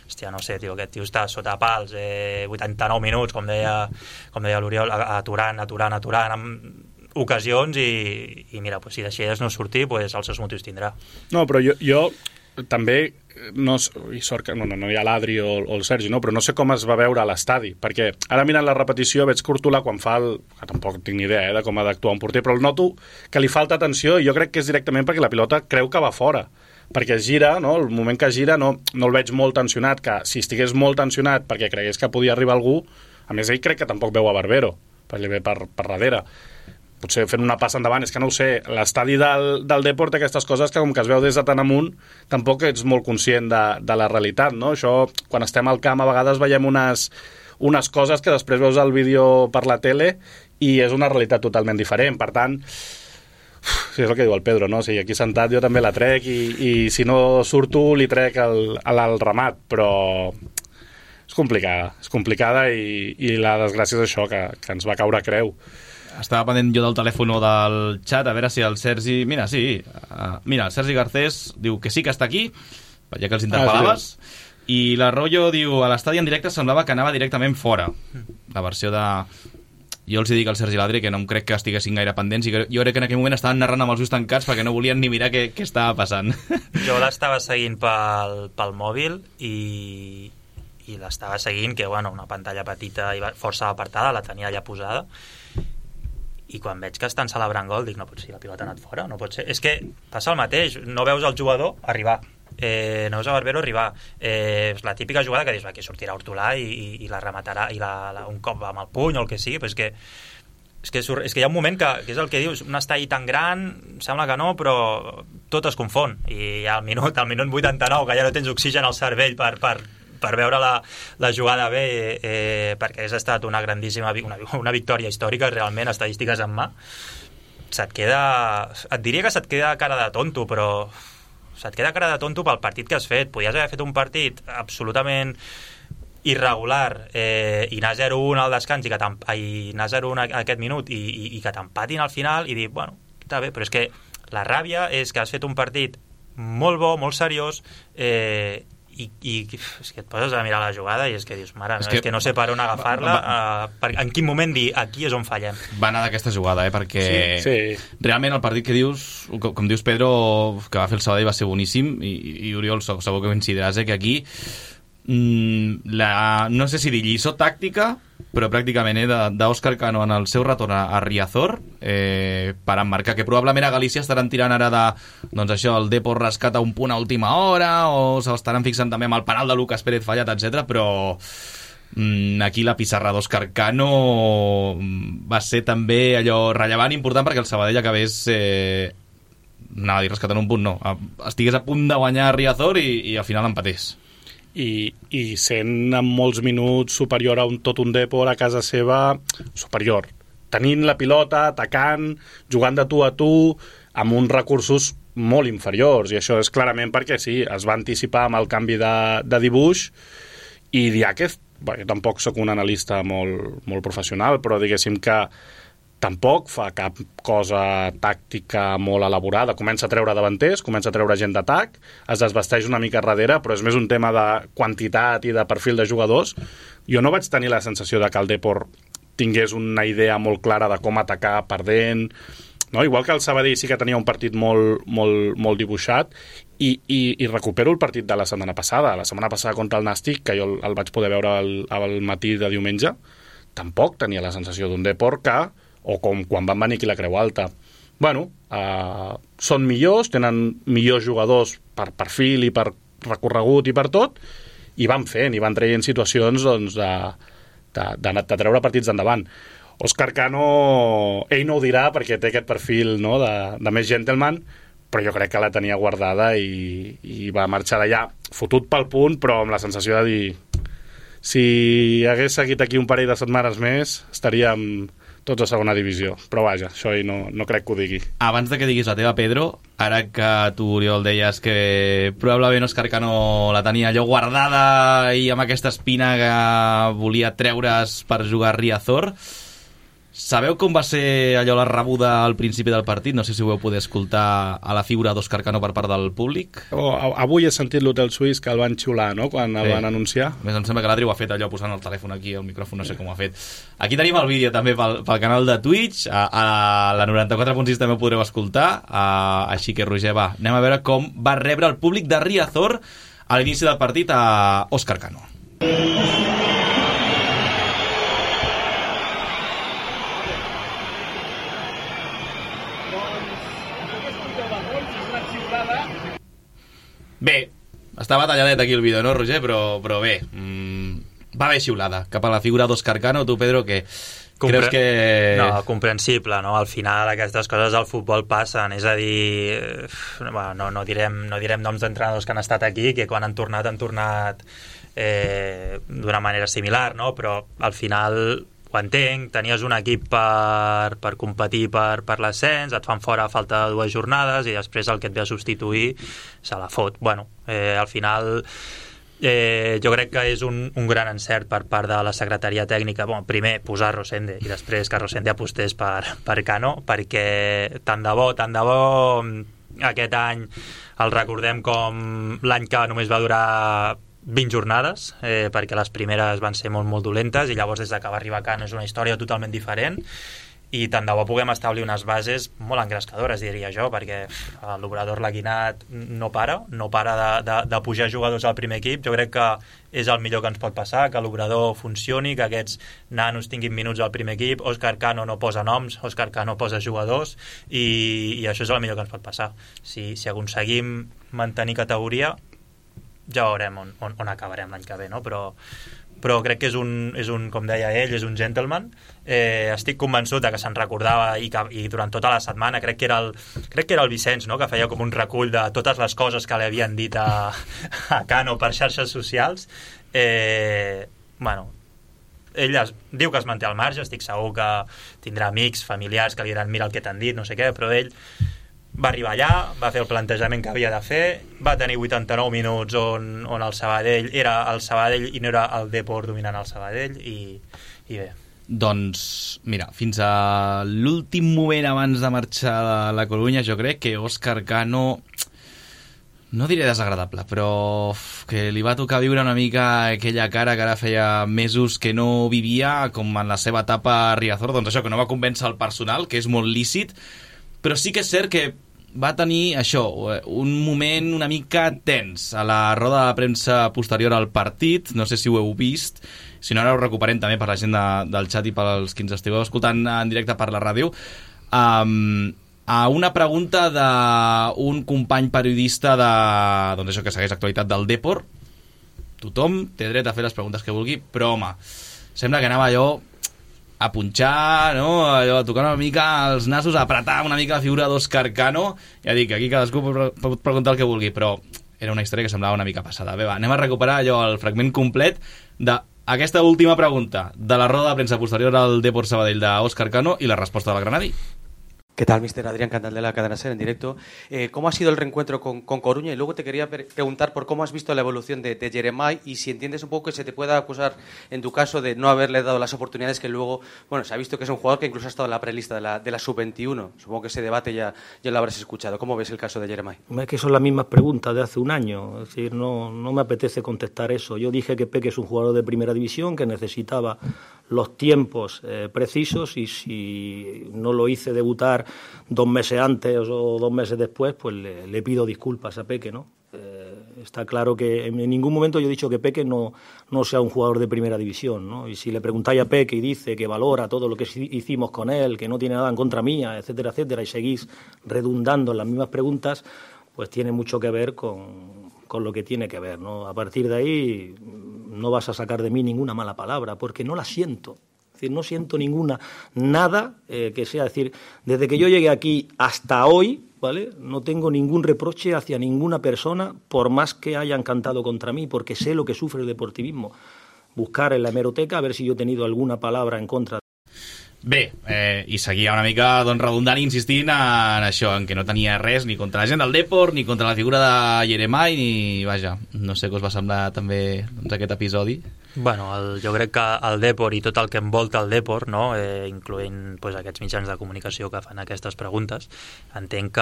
Hòstia, no sé, tio, aquest tio està sota pals 89 minuts, com deia l'Oriol, aturant ocasions i mira, si deixés no sortir, els seus motius tindrà. No, però jo també i sort que no hi ha l'Adri o el Sergi, no? Però no sé com es va veure a l'estadi, perquè ara mirant la repetició veig Courtois quan fa que tampoc tinc ni idea de com ha d'actuar un porter, però el noto que li falta atenció i jo crec que és directament perquè la pilota creu que va fora, perquè es gira, no? El moment que gira no el veig molt tensionat, que si estigués molt tensionat perquè cregués que podia arribar algú, a més ell crec que tampoc veu a Barbero, perquè li ve per darrere, potser fent una passa endavant, és que no ho sé, l'estadi del Depor té aquestes coses que com que es veu des de tan amunt tampoc ets molt conscient de la realitat, no? Això, quan estem al camp a vegades veiem unes coses que després veus el vídeo per la tele i és una realitat totalment diferent, per tant sí, és el que diu el Pedro, no? O sigui, aquí sentat jo també la trec i si no surto li trec al ramat, però és complicada i la desgràcia és això, que ens va caure a creu. Estava pendent jo del telèfon o del xat, a veure si el Sergi... Mira, sí. Mira, el Sergi Garcés diu que sí que està aquí, ja que els interpel·laves, i l'Arroyo diu a l'estadi en directe semblava que anava directament fora. La versió de... Jo els dic al Sergi i l'Adri que no em crec que estiguessin gaire pendents i que jo crec que en aquell moment estaven narrant amb els ulls tancats perquè no volien ni mirar què estava passant. Jo l'estava seguint pel mòbil i l'estava seguint, que bueno, una pantalla petita i força apartada, la tenia allà posada, i quan veig que estan celebrant gol dic, no pot ser, la pilota ha anat fora, no pot ser. És que passa el mateix, no veus el jugador arribar, no veus a Barbero arribar, és la típica jugada que dius, aquí sortirà Hortolà i la rematarà i un cop amb el puny o el que sigui, però és que hi ha un moment que és el que dius, un estadi tan gran, sembla que no, però tot es confon, i al minut 89, que ja no tens oxigen al cervell per veure la jugada bé, perquè ha estat una grandíssima una victòria històrica, realment, estadístiques en mà, et diria que se't queda cara de tonto, però se't queda cara de tonto pel partit que has fet. Podies haver fet un partit absolutament irregular i anar 0-1 al descans i anar 0-1 a aquest minut i que t'empatin al final i dir, bueno, està bé, però és que la ràbia és que has fet un partit molt bo, molt seriós, i és que et poses a mirar la jugada i és que dius, mare, és que no sé per on agafar-la, en quin moment dir aquí és on fallem. Va anar d'aquesta jugada, perquè sí. Realment el partit que dius, com dius Pedro, que va fer el Sabadell va ser boníssim, i Oriol segur que coincidiràs que aquí no sé si dir lliçó tàctica, però pràcticament d'Òscar Cano en el seu retorn a Riazor, per emmarcar que probablement a Galícia estaran tirant ara doncs això, el Depor rescata un punt a última hora, o s'estaran fixant també amb el penal de Lucas Pérez fallat, etc. Però aquí la pissarra d'Òscar Cano va ser també allò rellevant, important, perquè el Sabadell acabés anava a dir rescatant un punt, no, estigués a punt de guanyar a Riazor i al final empatés. I sent en molts minuts superior a tot un Depor a casa seva, superior, tenint la pilota, atacant, jugant de tu a tu, amb uns recursos molt inferiors, i això és clarament perquè sí, es va anticipar amb el canvi de dibuix, i Diáquez, jo tampoc sóc un analista molt professional, però diguéssim que tampoc fa cap cosa tàctica molt elaborada, comença a treure davanters, comença a treure gent d'atac, es desvesteix una mica darrere, però és més un tema de quantitat i de perfil de jugadors. Jo no vaig tenir la sensació de que el Depor tingués una idea molt clara de com atacar perdent, no? Igual que el Sabadell sí que tenia un partit molt dibuixat, i recupero el partit de la setmana passada contra el Nàstic, que jo el vaig poder veure al matí de diumenge, tampoc tenia la sensació d'un Depor que, o com quan van venir aquí la Creu Alta, bueno, són millors, tenen millors jugadors per perfil i per recorregut i per tot, i van fent, i van traient situacions doncs, de treure partits endavant. Òscar Cano, ell no ho dirà perquè té aquest perfil, no, de més gentleman, però jo crec que la tenia guardada i va marxar d'allà fotut pel punt, però amb la sensació de dir, si hagués seguit aquí un parell de setmanes més estaríem tots a segona divisió, però vaja, això no crec que ho digui. Abans de que diguis la teva, Pedro, ara que tu, Oriol, deies que probablement Òscar Cano la tenia allò guardada i amb aquesta espina que volia treure's per jugar a Riazor, Sabeu com va ser allò la rebuda al principi del partit? No sé si ho vau poder escoltar a la figura d'Òscar Cano per part del públic. Avui he sentit l'Hotel Suís que el van xiular, no?, quan el van anunciar. A més, em sembla que l'Adri ho ha fet allò posant el telèfon aquí, el micròfon, no sé com ho ha fet. Aquí tenim el vídeo també pel canal de Twitch, a la 94.6 també ho podreu escoltar, així que, Roger, va, anem a veure com va rebre el públic de Riazor a l'inici del partit a Òscar Cano. Bé, estava talladet aquí el vídeo, no, Roger? Però bé, va haver xiulada cap a la figura d'Òscar Cano. Tu, Pedro, que creus que... No, comprensible, no? Al final aquestes coses al futbol passen, és a dir, bueno, no direm noms d'entrenadors que han estat aquí, que quan han tornat d'una manera similar, no? Però al final ho entenc, tenies un equip per competir per l'ascens, et fan fora a falta de 2 jornades i després el que et ve a substituir se la fot. Bueno, al final jo crec que és un gran encert per part de la secretaria tècnica. Bon, primer posar Rosende i després que Rosende apostés per Cano, perquè tant de bo aquest any el recordem com l'any que només va durar 20 jornades, perquè les primeres van ser molt, molt dolentes i llavors des que va arribar Cano és una història totalment diferent i tant de bo puguem establir unes bases molt engrescadores, diria jo, perquè l'Obrador Laguinat no para de pujar jugadors al primer equip. Jo crec que és el millor que ens pot passar, que l'Obrador funcioni, que aquests nanos tinguin minuts al primer equip. Òscar Cano no posa noms, Òscar Cano posa jugadors i això és el millor que ens pot passar. Si aconseguim mantenir categoria ja veurem on acabarem l'any que ve, no? Però crec que és un, com deia ell, és un gentleman. Estic convençut que se'n recordava i durant tota la setmana crec que era el Vicenç, no?, que feia com un recull de totes les coses que li havien dit a Cano per xarxes socials. Bueno, ell diu que es manté al marge, estic segur que tindrà amics, familiars que li diran mira el que t'han dit, no sé què, però ell va arribar allà, va fer el plantejament que havia de fer, va tenir 89 minuts on el Sabadell era el Sabadell i no era el Depor dominant el Sabadell i bé. Doncs, mira, fins a l'últim moment abans de marxar a la Corunya jo crec que Òscar Cano, no diré desagradable, però que li va tocar viure una mica aquella cara que ara feia mesos que no vivia, com en la seva etapa a Riazor, doncs això, que no va convèncer el personal, que és molt lícit, però sí que és cert que va tenir això, un moment una mica tens a la roda de premsa posterior al partit. No sé si ho heu vist, si no ara ho recuperem també per la gent del xat i pels que ens estigueu escoltant en directe per la ràdio. A una pregunta d'un company periodista doncs això, que segueix l'actualitat del Depor. Tothom té dret a fer les preguntes que vulgui, però home, sembla que anava allò a punxar, no? Allò, a tocar una mica els nassos, a apretar una mica la figura d'Òscar Cano. Ja dic, aquí cadascú pot preguntar el que vulgui, però era una història que semblava una mica passada. Bé, va, anem a recuperar allò, el fragment complet d'aquesta última pregunta de la roda de premsa posterior al Depor Sabadell d'Òscar Cano i la resposta del Granadi. ¿Qué tal, mister Adrián Cantal de la Cadena SER en directo? ¿Cómo ha sido el reencuentro con Coruña? Y luego te quería preguntar por cómo has visto la evolución de Jeremai y si entiendes un poco que se te pueda acusar, en tu caso, de no haberle dado las oportunidades que luego, bueno, se ha visto que es un jugador que incluso ha estado en la prelista de la Sub-21. Supongo que ese debate ya lo habrás escuchado. ¿Cómo ves el caso de Jeremai? Es que son las mismas preguntas de hace un año. Es decir, no me apetece contestar eso. Yo dije que Peque es un jugador de primera división, que necesitaba los tiempos precisos y si no lo hice debutar 2 meses antes o 2 meses después, pues le pido disculpas a Peque, ¿no? Está claro que en ningún momento yo he dicho que Peque no sea un jugador de primera división, ¿no? Y si le preguntáis a Peque y dice que valora todo lo que hicimos con él, que no tiene nada en contra mía, etcétera, etcétera, y seguís redundando en las mismas preguntas, pues tiene mucho que ver con lo que tiene que ver, ¿no? A partir de ahí no vas a sacar de mí ninguna mala palabra, porque no la siento. Es decir, no siento nada que sea, decir, desde que yo llegué aquí hasta hoy, ¿vale? No tengo ningún reproche hacia ninguna persona, por más que hayan cantado contra mí, porque sé lo que sufre el deportivismo. Buscar en la hemeroteca a ver si yo he tenido alguna palabra en contra. Bé, i seguia una mica doncs, redundant i insistint en això, en que no tenia res ni contra la gent del Depor, ni contra la figura de Jeremai, ni, vaja, no sé què us va semblar també doncs, aquest episodi. Bueno, jo crec que el Depor i tot el que envolta el Depor, no? Incloent aquests mitjans de comunicació que fan aquestes preguntes, entenc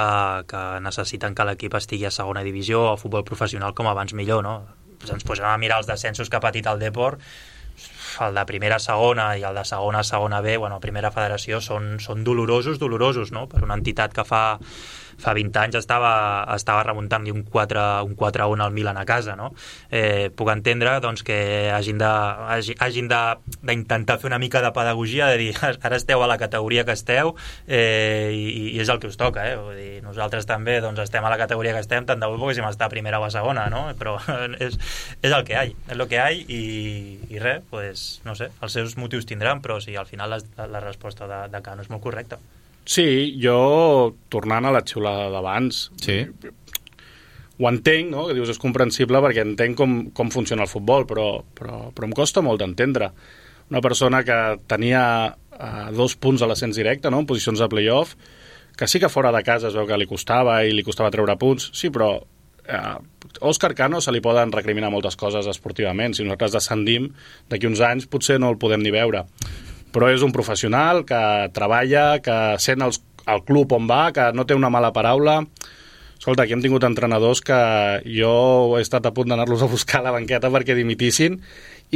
que necessiten que l'equip estigui a segona divisió o a futbol professional com abans millor, no? Ens posem a mirar els descensos que ha patit el Depor, el de primera a segona i el de segona a segona B, primera federació, són dolorosos, no? Per una entitat que fa 20 anys estava remuntant-li un 4-1 al Milan a casa, no? Puc entendre doncs, que hagin d'intentar fer una mica de pedagogia, de dir, ara esteu a la categoria que esteu i és el que us toca, Vull dir, nosaltres també doncs, estem a la categoria que estem, tant de bo poguéssim estar a primera o a segona, no? Però és el que hi ha, és el que hi ha i res, pues, no sé, els seus motius tindran, però sí, al final la resposta de Cano és molt correcta. Sí, jo, tornant a la xiulada d'abans, sí. Ho entenc, no? Que dius és comprensible perquè entenc com funciona el futbol, però em costa molt d'entendre. Una persona que tenia 2 punts a l'ascens directe, no? En posicions de play-off, que sí que fora de casa es veu que li costava treure punts, sí, però a Òscar Cano se li poden recriminar moltes coses esportivament. Si nosaltres descendim, d'aquí uns anys potser no el podem ni veure. Però és un professional que treballa, que sent el club on va, que no té una mala paraula. Escolta, aquí hem tingut entrenadors que jo he estat a punt d'anar-los a buscar a la banqueta perquè dimitissin,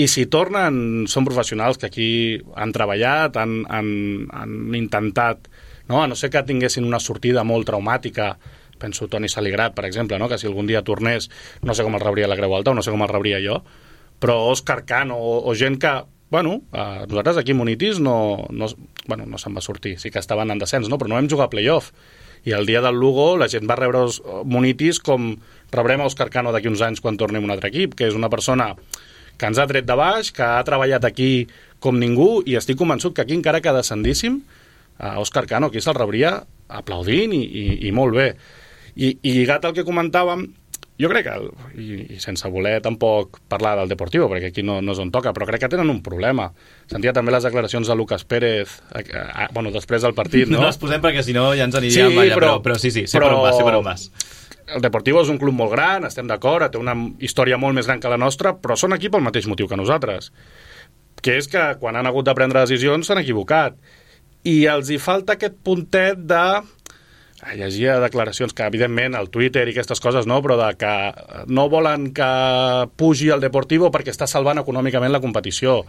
i si tornen són professionals que aquí han treballat, han intentat, no? A no ser que tinguessin una sortida molt traumàtica, penso Toni Saligrat, per exemple, no? Que si algun dia tornés, no sé com el rebria la Creu Alta o no sé com el rebria jo, però Òscar Cano o gent que nosaltres aquí Monitis no se'n va sortir, sí que estaven en descens, no? Però no vam jugar a playoff, i el dia del Lugo la gent va rebre Monitis com rebrem a Òscar Cano d'aquí uns anys quan tornem un altre equip, que és una persona que ens ha tret de baix, que ha treballat aquí com ningú, i estic convençut que aquí encara que descendíssim, Òscar Cano aquí se'l rebria aplaudint i molt bé. I lligat al que comentàvem, jo crec que, i sense voler tampoc parlar del Deportivo, perquè aquí no és on toca, però crec que tenen un problema. Sentia també les declaracions de Lucas Pérez, després del partit, no? No les posem perquè si no ja ens aniríem allà, però sí, sé per on vas. El Deportivo és un club molt gran, estem d'acord, té una història molt més gran que la nostra, però són aquí pel mateix motiu que nosaltres, que és que quan han hagut de prendre decisions s'han equivocat. I els hi falta aquest puntet de... llegia declaracions que, evidentment, al Twitter i aquestes coses, no, però de que no volen que pugi el Deportivo perquè està salvant econòmicament la competició.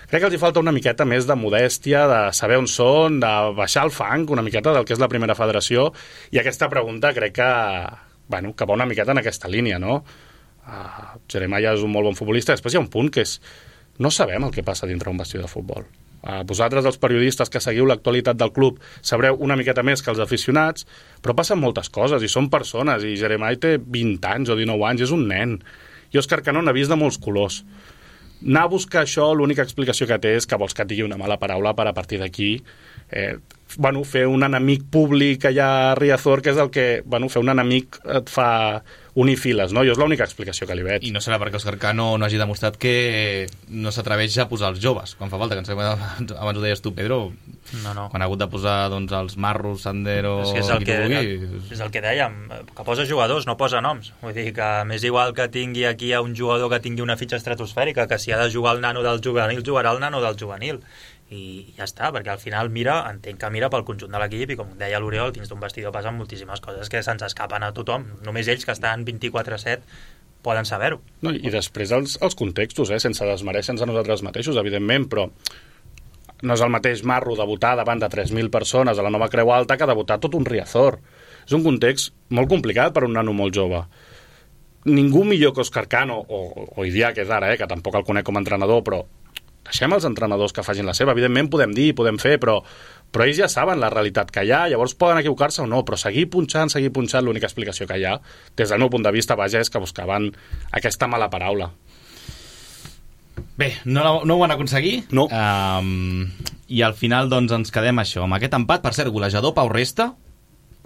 Crec que els hi falta una miqueta més de modèstia, de saber on són, de baixar el fang una miqueta del que és la primera federació, i aquesta pregunta crec que va una miqueta en aquesta línia, no? Jeremiah és un molt bon futbolista, després hi ha un punt que és no sabem el que passa dintre un vestidor de futbol. Vosaltres, els periodistes que seguiu l'actualitat del club, sabreu una miqueta més que els aficionats, però passen moltes coses, i són persones, i Jeremiah té 20 anys o 19 anys, és un nen. I Òscar Cano n'ha vist de molts colors. Anar a buscar això, l'única explicació que té és que vols que et digui una mala paraula per a partir d'aquí fer un enemic públic allà a Riazor, que és el que fer un enemic et fa unir files, no? Jo és l'única explicació que li veig. I no serà perquè Òscar Cano no hagi demostrat que no s'atreveix a posar els joves quan fa falta, que abans ho deies tu, Pedro, quan ha hagut de posar els Marros, Sandero... És el que dèiem, que posa jugadors, no posa noms. Vull dir que m'és igual que tingui aquí un jugador que tingui una fitxa estratosfèrica, que si ha de jugar el nano del juvenil, jugarà el nano del juvenil. I ja està, perquè al final entenc que mira pel conjunt de l'equip, i com deia l'Oriol, dins d'un vestidor passen moltíssimes coses que se'ns escapen a tothom. Només ells, que estan 24/7, poden saber-ho. No, i després els contextos, sense desmereixer-nos a nosaltres mateixos, evidentment, però no és el mateix Marro debutar davant de 3.000 persones a la Nova Creu Alta que debutar tot un Riazor. És un context molt complicat per un nano molt jove. Ningú millor que Òscar Cano, o Idià, que és ara, que tampoc el conec com a entrenador, però deixem els entrenadors que facin la seva. Evidentment podem dir, podem fer, però ells ja saben la realitat que hi ha, llavors poden equivocar-se o no, però seguir punxant, l'única explicació que hi ha, des del meu punt de vista, és que buscaven aquesta mala paraula. Bé, no ho van aconseguir. No. I al final doncs ens quedem això, amb aquest empat. Per cert, golejador Pau Resta,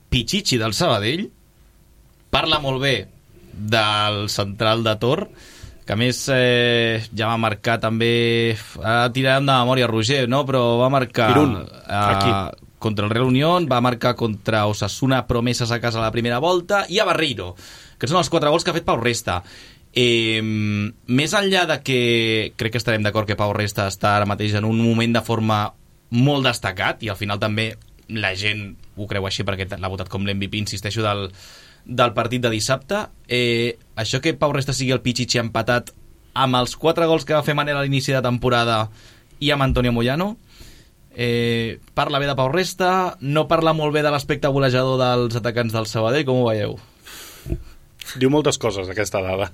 Pichichi del Sabadell, parla molt bé del central de Tor, que a més ja va marcar també, tirarem de memòria Roger, no? Però va marcar contra el Real Unión, va marcar contra Osasuna, Promeses a casa a la primera volta, i a Barreiro, que són els 4 gols que ha fet Pau Resta. Més enllà de que crec que estarem d'acord que Pau Resta està ara mateix en un moment de forma molt destacat, i al final també la gent ho creu així perquè l'ha votat com l'MVP, insisteixo, del partit de dissabte, això que Pau Resta sigui el Pichichi empatat amb els 4 gols que va fer Manel a l'inici de temporada i amb Antonio Moyano, parla bé de Pau Resta, no parla molt bé de l'aspecte golejador dels atacants del Sabadell, com ho veieu? Diu moltes coses aquesta dada.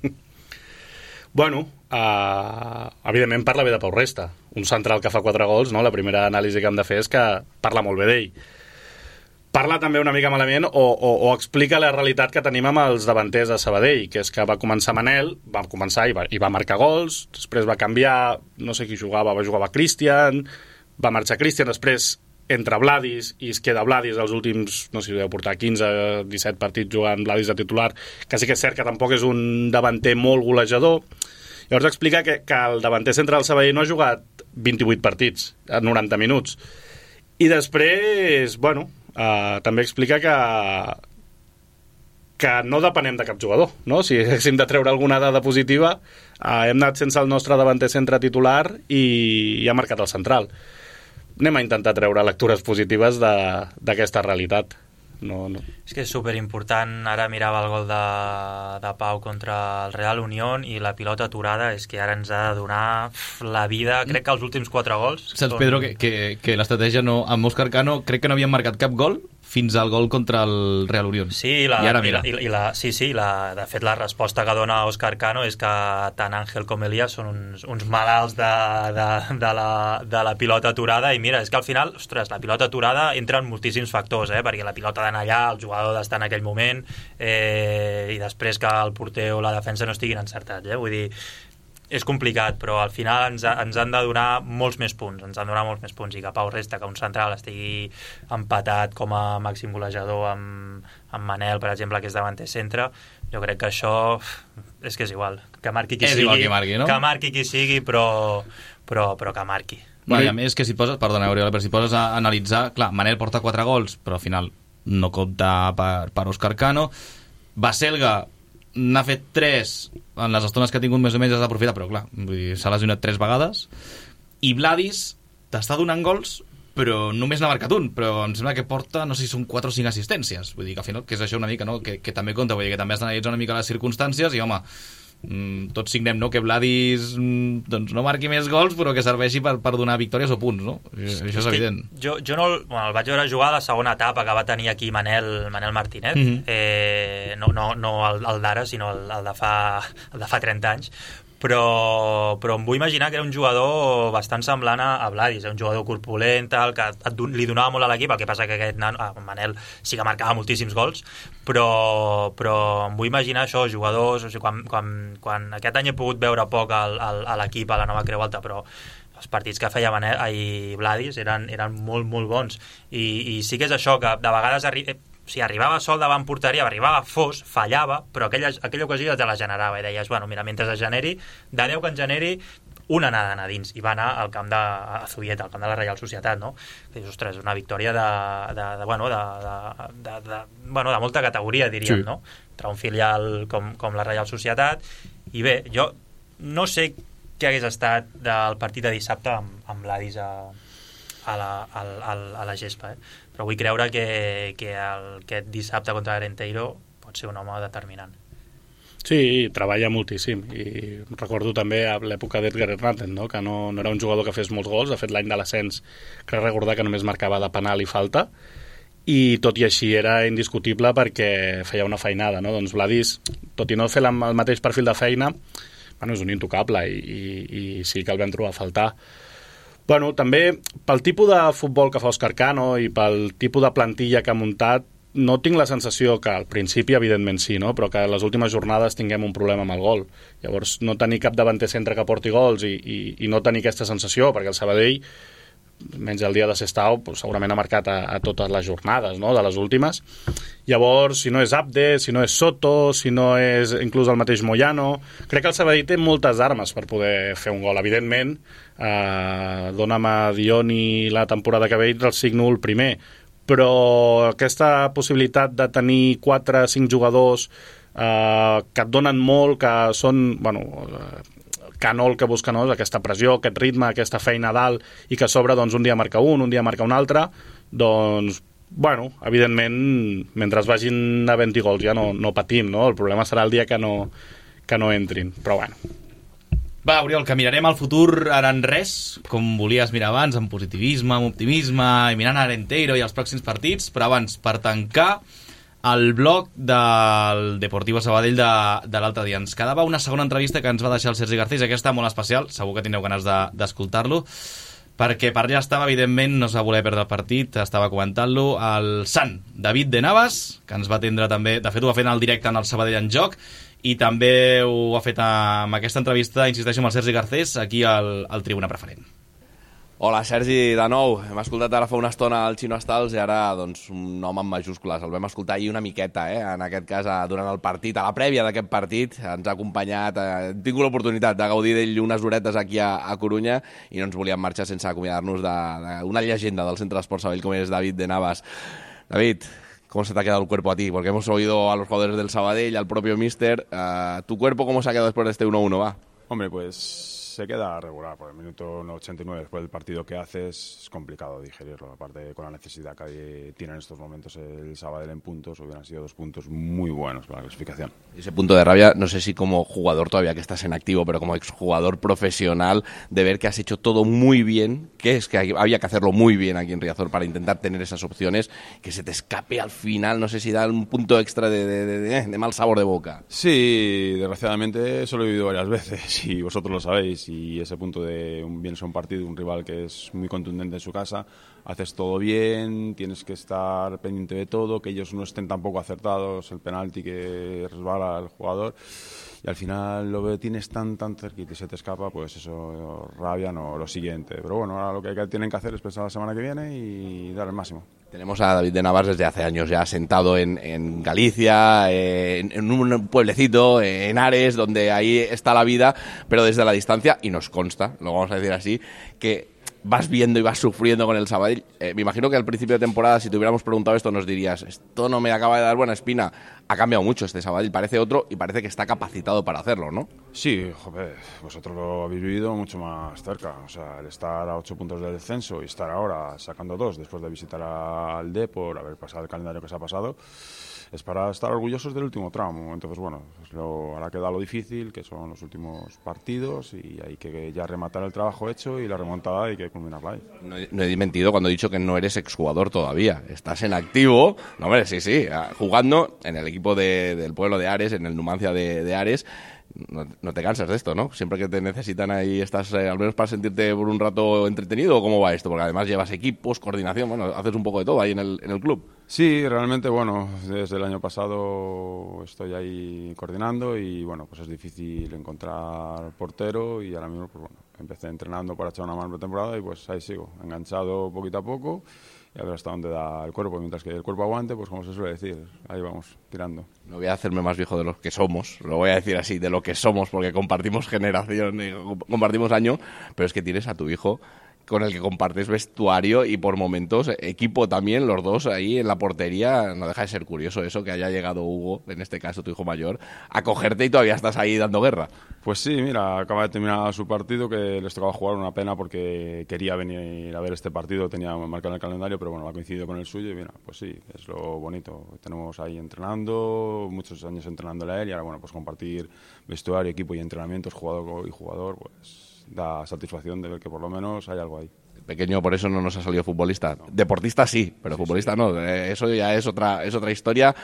Bueno, evidentment parla bé de Pau Resta, un central que fa 4 gols, no? La primera anàlisi que hem de fer és que parla molt bé d'ell. Parla també una mica malament o explica la realitat que tenim amb els davanters de Sabadell, que és que va començar Manel, va començar i va marcar gols, després va canviar, no sé qui jugava, jugava Cristian, va marxar Cristian, després entra Vladis i es queda Vladis els últims, no sé si deu portar 15-17 partits jugant Vladis de titular, que sí que és cert que tampoc és un davanter molt golejador. Llavors explica que el davanter central del Sabadell no ha jugat 28 partits en 90 minuts. I després, bueno, també explica que no depenem de cap jugador, no? Si haguéssim de treure alguna dada positiva, hem anat sense el nostre davanter centre titular i ha marcat el central. Anem a intentar treure lectures positives d'aquesta realitat. No. És que és superimportant. Ara mirava el gol de Pau contra el Real Unión i la pilota aturada és que ara ens ha de donar la vida. Crec que els últims 4 gols... Saps, Pedro, que l'estratègia no... Amb Òscar Cano crec que no havien marcat cap gol fins al gol contra el Real Unión. Sí, de fet la resposta que dona Òscar Cano és que tant Àngel com Elias són uns malalts de la pilota aturada, i mira, és que al final, ostres, la pilota aturada entra en moltíssims factors, perquè la pilota d'anar allà, el jugador d'estar en aquell moment, i després que el porter o la defensa no estiguin encertats, vull dir, és complicat, però al final ens han de donar molts més punts, i que Pau Resta, que un central estigui empatat com a màxim golejador amb Manel, per exemple, que és davanter centre, jo crec que això és que és igual, que marqui qui sigui, igual que marqui, no? Que marqui qui sigui, però que marqui. Bueno, i a més que si poses, perdona, Oriol, però si poses a analitzar, clar, Manel porta 4 gols, però al final no compta per Òscar Cano. Baselga n'ha fet 3 en les estones que ha tingut, més o menys has d'aprofitar, però clar, s'ha lesionat 3 vegades, i Vladis t'està donant gols, però només n'ha marcat un, però em sembla que porta, no sé si són 4 o 5 assistències, vull dir que al final, que és això una mica, no? que també compta, vull dir que també has d'analitzar una mica les circumstàncies, i home, tots signem, no?, que Vladis doncs no marqui més gols, però que serveixi per donar victòries o punts, no? Això és evident. Jo no, el vaig veure jugar a la segona etapa que va tenir aquí Manel Martínez, no el d'ara, sinó el de fa 30 anys, però em vull imaginar que era un jugador bastant semblant a Vladis, un jugador corpulent, que li donava molt a l'equip, el que passa que aquest Manel sí que marcava moltíssims gols, però em vull imaginar això, jugadors, o sigui, quan aquest any he pogut veure poc a l'equip, a la Nova Creu Alta, però els partits que feia Vladis eren molt, molt bons, i sí que és això, que de vegades arribava sol davant porteria, arribava fos, fallava, però aquella ocasió ja te la generava, i deies, bueno, mira, mentre es generi, de 10 que en generi, una anada a dins, i va anar al camp de Zubieta, al camp de la Reial Societat, no? Que dius, ostres, una victòria de molta categoria, diríem, sí, no? Entre un filial com la Reial Societat, i bé, jo no sé què hagués estat del partit de dissabte amb Vladis a la gespa, però vull creure que aquest dissabte contra l'Arenteiro pot ser un home determinant. Sí, treballa moltíssim, i recordo també a l'època d'Edgar Hernández, no?, que no era un jugador que fes molts gols. De fet, l'any de l'ascens crec recordar que només marcava de penal i falta, i tot i així era indiscutible perquè feia una feinada, no? Doncs Vladis, tot i no fer el mateix perfil de feina, bueno, és un intocable, i sí que el vam trobar a faltar. Bueno, també pel tipus de futbol que fa Òscar Cano i pel tipus de plantilla que ha muntat, no tinc la sensació que al principi, evidentment sí, no?, però que a les últimes jornades tinguem un problema amb el gol. Llavors, no tenir cap davanter centre que porti gols i no tenir aquesta sensació, perquè el Sabadell, menys el dia de Sestao, segurament ha marcat a totes les jornades, no?, de les últimes. Llavors, si no és Abde, si no és Soto, si no és inclús el mateix Moyano, crec que el Sabadell té moltes armes per poder fer un gol. Evidentment, dona'm a Dioni la temporada que ve i el signo el primer, però aquesta possibilitat de tenir 4 o 5 jugadors que et donen molt, que són, que no el que busquen, no? Aquesta pressió, aquest ritme, aquesta feina a dalt, i que a sobre doncs, un dia marca un dia marca un altre, doncs, evidentment, mentre vagin havent-hi gols ja no patim, no? El problema serà el dia que no entrin, però bueno. Va, Oriol, que mirarem al futur ara en res, com volies mirar abans, amb positivisme, amb optimisme, i mirant a Arenteiro i els pròxims partits, però abans, per tancar el blog del Deportivo Sabadell de l'altre dia. Ens quedava una segona entrevista que ens va deixar el Sergi Garcés, aquesta molt especial, segur que tindreu ganes d'escoltar-lo, perquè per allà estava, evidentment, no es va voler perdre el partit, estava comentant-lo el Sant David de Navas, que ens va atendre també, de fet ho va fer en el directe en el Sabadell en Joc, i també ho ha fet amb aquesta entrevista, insisteixo, amb el Sergi Garcés, aquí al Tribuna Preferent. Hola, Sergi, de nou. Hem escoltat ara fa una estona el Xino Stals i ara doncs, un nom amb majúscules. El vam escoltar ahir una miqueta, en aquest cas, durant el partit, a la prèvia d'aquest partit. Ens ha acompanyat, hem tingut l'oportunitat de gaudir d'ell unes horetes aquí a Corunya i no ens volíem marxar sense acomiadar-nos d'una llegenda del Centre d'Esport Sabadell com és David de Navas. David, ¿cómo se te ha quedado el cuerpo a ti? Porque hemos oído a los jugadores del Sabadell, al propio míster. ¿Tu cuerpo cómo se ha quedado después de este 1-1, va? Hombre, pues se queda regular. Por el minuto 89, después del partido que haces, es complicado digerirlo. Aparte, con la necesidad que tiene en estos momentos el Sabadell en puntos, hubieran sido 2 puntos muy buenos para la clasificación. Ese punto de rabia, no sé si como jugador todavía que estás en activo, pero como exjugador profesional, de ver que has hecho todo muy bien, que es que había que hacerlo muy bien aquí en Riazor para intentar tener esas opciones, que se te escape al final, no sé si da un punto extra de mal sabor de boca. Sí, desgraciadamente eso lo he vivido varias veces y vosotros lo sabéis. Y ese punto de vienes a un partido, un rival que es muy contundente en su casa, haces todo bien, tienes que estar pendiente de todo, que ellos no estén tampoco acertados, el penalti que resbala al jugador, y al final lo tienes tan cerquita y se te escapa, pues eso, rabia, no, lo siguiente. Pero bueno, ahora lo que tienen que hacer es pensar la semana que viene y dar el máximo. Tenemos a David de Navas desde hace años ya sentado en Galicia, en un pueblecito, en Ares, donde ahí está la vida, pero desde la distancia, y nos consta, lo vamos a decir así, que vas viendo y vas sufriendo con el Sabadell. Me imagino que al principio de temporada, si te hubiéramos preguntado esto, nos dirías, esto no me acaba de dar buena espina. Ha cambiado mucho este Sabadell, parece otro y parece que está capacitado para hacerlo, ¿no? Sí, joder, vosotros lo habéis vivido mucho más cerca. O sea, el estar a 8 puntos del descenso y estar ahora sacando 2 después de visitar al Depor, haber pasado el calendario que se ha pasado, es para estar orgullosos del último tramo. Entonces, bueno, ahora queda lo difícil, que son los últimos partidos, y hay que ya rematar el trabajo hecho y la remontada hay que culminarla ahí. No he mentido cuando he dicho que no eres exjugador todavía. Estás en activo, no, hombre, sí, jugando en el equipo del pueblo de Ares, en el Numancia de Ares. No te cansas de esto, ¿no? Siempre que te necesitan ahí estás, al menos para sentirte por un rato entretenido, ¿o cómo va esto? Porque además llevas equipos, coordinación, bueno, haces un poco de todo ahí en el club. Sí, realmente, bueno, desde el año pasado estoy ahí coordinando y, bueno, pues es difícil encontrar portero y ahora mismo, pues bueno, empecé entrenando para echar una mano de temporada y pues ahí sigo, enganchado poquito a poco y a ver hasta dónde da el cuerpo. Mientras que el cuerpo aguante, pues como se suele decir, ahí vamos, tirando. No voy a hacerme más viejo de los que somos, lo voy a decir así, de lo que somos, porque compartimos generación y compartimos año, pero es que tienes a tu hijo con el que compartes vestuario y por momentos equipo también, los dos ahí en la portería. No deja de ser curioso eso, que haya llegado Hugo, en este caso tu hijo mayor, a cogerte y todavía estás ahí dando guerra. Pues sí, mira, acaba de terminar su partido, que les tocaba jugar, una pena porque quería venir a ver este partido, tenía marcado en el calendario, pero bueno, ha coincidido con el suyo y mira, pues sí, es lo bonito. Tenemos ahí entrenando, muchos años entrenándole a él y ahora bueno, pues compartir vestuario, equipo y entrenamientos, jugador y jugador, pues da satisfacción de ver que por lo menos hay algo ahí. El pequeño por eso no nos ha salido futbolista. No. Deportista sí, pero sí, futbolista sí. No. Eso ya es otra historia.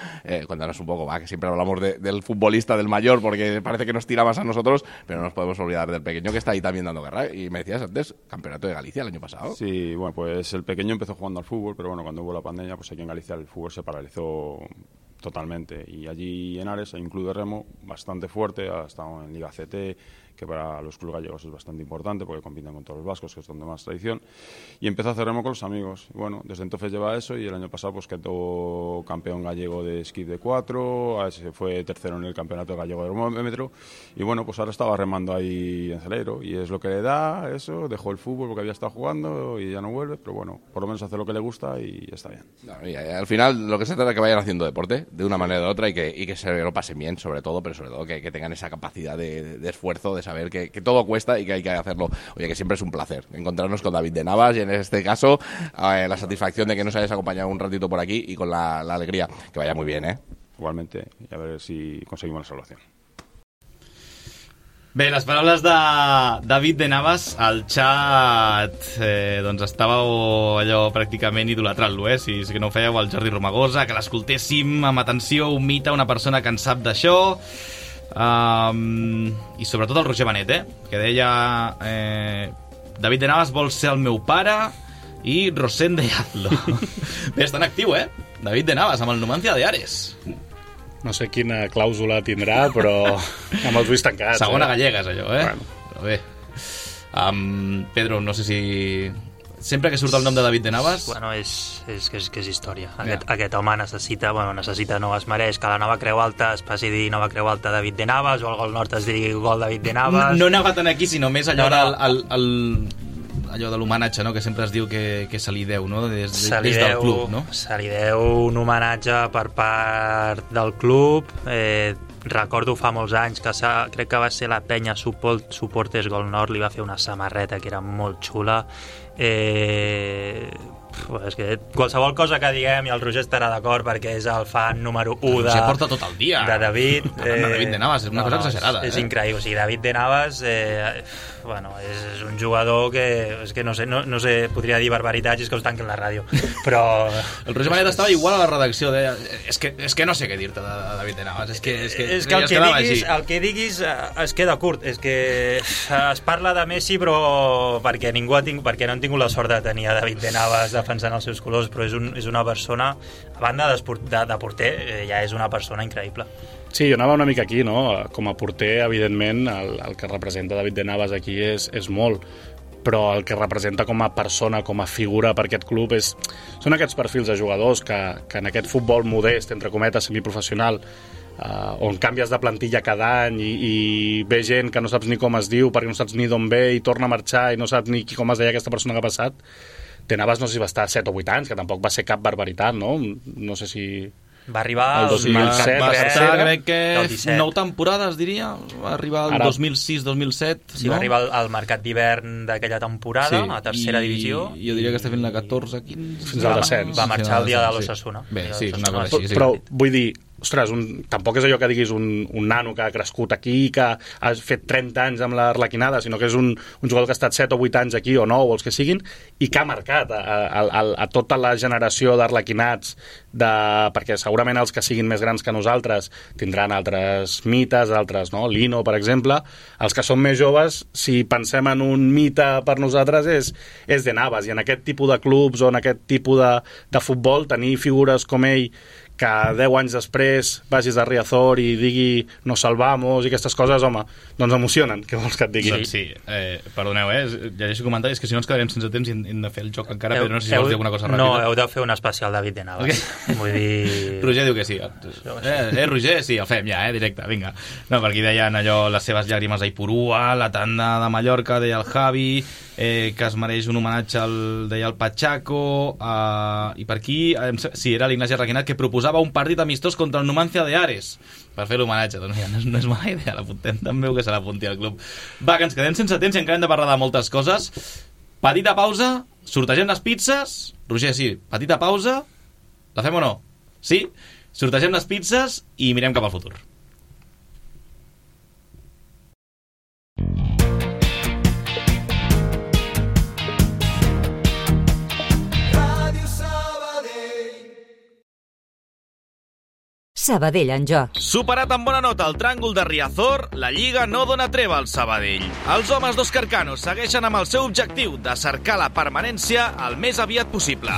Cuéntanos un poco, va, que siempre hablamos del futbolista, del mayor, porque parece que nos tira más a nosotros, pero no nos podemos olvidar del pequeño que está ahí también dando guerra. Y me decías antes, campeonato de Galicia el año pasado. Sí, bueno, pues el pequeño empezó jugando al fútbol, pero bueno, cuando hubo la pandemia, pues aquí en Galicia el fútbol se paralizó totalmente. Y allí en Ares hay un club de remo bastante fuerte, ha estado en Liga CT, que para los clubes gallegos es bastante importante porque compiten con todos los vascos, que es donde más tradición, y empezó a hacer remo con los amigos. Y bueno, desde entonces lleva eso, y el año pasado pues quedó campeón gallego de esquí de 4, fue tercero en el campeonato gallego de termómetro, y bueno, pues ahora estaba remando ahí en Celeiro, y es lo que le da eso, dejó el fútbol porque había estado jugando y ya no vuelve, pero bueno, por lo menos hace lo que le gusta y está bien. No, y al final lo que se trata es que vayan haciendo deporte de una manera o de otra y que se lo pasen bien, sobre todo, pero sobre todo que tengan esa capacidad de esfuerzo, de saber que todo cuesta y que hay que hacerlo. Oye, que siempre es un placer encontrarnos con David de Navas, y en este caso la satisfacción de que nos hayas acompañado un ratito por aquí y con la alegría. Que vaya muy bien, ¿eh? Igualmente, y a ver si conseguimos la salvación. Bé, les paraules de David de Navas, al xat doncs estàveu allò pràcticament idolatrant-lo, si que no ho fèieu, el Jordi Romagosa, que l'escoltéssim amb atenció, un mite, una persona que en sap d'això, i sobretot el Roger Benet, que deia David de Navas vol ser el meu pare i Rosende hazlo. Bé, està en actiu, David de Navas, amb el Numancia de Ares. No sé quina clàusula tindrà, però amb els ulls tancats. Segona gallega és allò, Bueno. Però bé. Pedro, no sé si... Sempre que surt el nom de David de Navas... Bueno, és història. Aquest home necessita, no es mereix que la nova Creu Alta es passi a dir nova Creu Alta David de Navas, o el Gol Nord es digui Gol David de Navas... No he anat aquí, sinó més allò allò de l'homenatge, no?, que sempre es diu que se li deu, no?, des del club, no? Se li deu un homenatge per part del club. Recordo fa molts anys que crec que va ser la penya Suportes Gol Nord, li va fer una samarreta que era molt xula. És que qualsevol cosa que diguem i el Roger estarà d'acord perquè és el fan número 1 de... Roger porta tot el dia de David. De David de Navas, és una cosa exagerada. És increïble, o sigui, David de Navas és un jugador que és que no sé, podria dir barbaritats i és que us tanquen la ràdio, però... El Roger Benet estava igual a la redacció, deia, és que no sé què dir-te de David de Navas, és que el que diguis es queda curt, és que es parla de Messi però perquè no han tingut la sort de tenir a David de Navas defensant els seus colors, però és una persona, a banda de porter, ja és una persona increïble. Sí, jo anava una mica aquí, no? Com a porter, evidentment, el que representa David de Navas aquí és molt, però el que representa com a persona, com a figura per aquest club són aquests perfils de jugadors que en aquest futbol modest, entre cometes, semiprofessional, on canvies de plantilla cada any i ve gent que no saps ni com es diu perquè no saps ni d'on ve i torna a marxar i no saps ni com es deia aquesta persona que ha passat. De Navas no sé si va estar 7 o 8 anys, que tampoc va ser cap barbaritat, no? No sé si... Va arribar el 2007, va estar, crec que 9 temporades, diria. Va arribar el 2006-2007. Sí, no? Va arribar al mercat d'hivern d'aquella temporada, a tercera divisió. Jo diria que està fent la 14-15. Fins al descens. Va marxar el dia de l'Osasuna. Bé, sí, una cosa així. Però vull dir, ostres, tampoc és allò que diguis un nano que ha crescut aquí, que ha fet 30 anys amb l'Arlequinada, sinó que és un jugador que ha estat 7 o 8 anys aquí, o 9, o els que siguin, i que ha marcat a tota la generació d'arlequinats, perquè segurament els que siguin més grans que nosaltres tindran altres mites, altres, no? Lino, per exemple. Els que són més joves, si pensem en un mite per nosaltres, és de Navas, i en aquest tipus de clubs o en aquest tipus de futbol, tenir figures com ell que 10 anys després vagis a Riazor i digui nos salvamos i aquestes coses, home, doncs emocionen. Què vols que et digui? Doncs sí, perdoneu, llegeixo comentaris, que si no ens quedarem sense temps i hem de fer el joc encara, però no sé si vols dir alguna cosa ràpida. No, heu de fer un especial David de Navas. Vull dir... Roger diu que sí. Roger, sí, el fem ja, directe, vinga. No, per aquí deien allò, les seves llàgrimes a Ipurua, la tanda de Mallorca, deia el Javi, que es mereix un homenatge deia el Pachaco, i per aquí, sí, era l'Ignasi Arrequinat, que proposava un partit amistós contra el Numancia de Ares per fer l'homenatge. Doncs ja, no és mala idea, l'apuntem també, que se l'apunti al club. Va, que ens quedem sense temps i encara hem de parlar de moltes coses. Petita pausa, sortegem les pizzas. Roger, sí, petita pausa. La fem o no? Sí? Sortegem les pizzas i mirem cap al futur. Sabadell en joc. Superat amb bona nota el tràngol de Riazor, la Lliga no dona treva al Sabadell. Els homes d'Òscar Cano segueixen amb el seu objectiu de cercar la permanència el més aviat possible.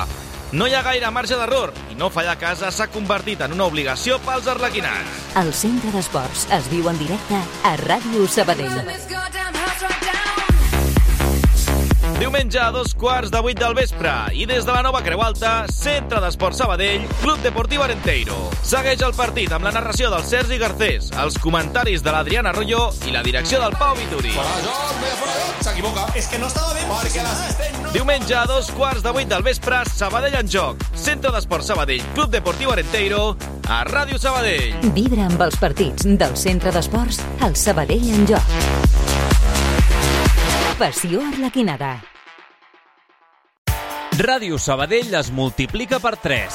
No hi ha gaire marge d'error i no fallar a casa s'ha convertit en una obligació pels arlequinats. El Centre d'Esports es viu en directe a Ràdio Sabadell. Diumenge a 7:15 del vespre i des de la nova Creu Alta, Centre d'Esports Sabadell, Club Deportiu Arenteiro. Segueix el partit amb la narració del Sergi Garcés, els comentaris de l'Adriana Arroyo i la direcció del Pau Vituri. S'equivoca. És que no estava bé perquè l'assistent no... Diumenge a 7:15 del vespre, Sabadell en joc. Centre d'Esports Sabadell, Club Deportiu Arenteiro, a Ràdio Sabadell. Vibra amb els partits del Centre d'Esports al Sabadell en joc. Passió arlequinada. Ràdio Sabadell es multiplica per 3.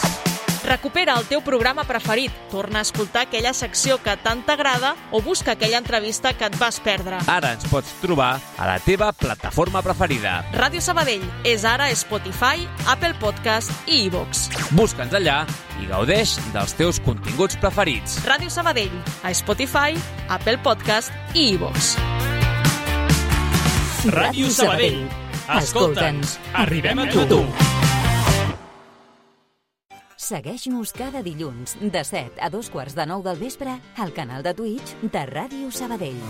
Recupera el teu programa preferit, torna a escoltar aquella secció que tant t'agrada o busca aquella entrevista que et vas perdre. Ara ens pots trobar a la teva plataforma preferida. Ràdio Sabadell és ara a Spotify, Apple Podcast i iVoox. Busca'ns allà i gaudeix dels teus continguts preferits. Ràdio Sabadell, a Spotify, Apple Podcast i iVoox. Ràdio Sabadell. Escolta'ns, arribem a tu. Segueix-nos cada dilluns de 7 a 8:15 del vespre al canal de Twitch de Ràdio Sabadell.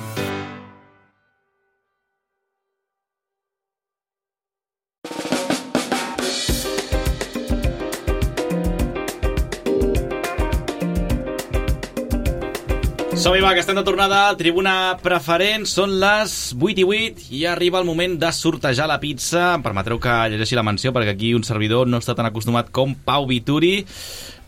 Som-hi, va, que estem de tornada a Tribuna Preferent. Són les 8:08 i arriba el moment de sortejar la pizza. Em permetreu que llegeixi la menció perquè aquí un servidor no està tan acostumat com Pau Vituri,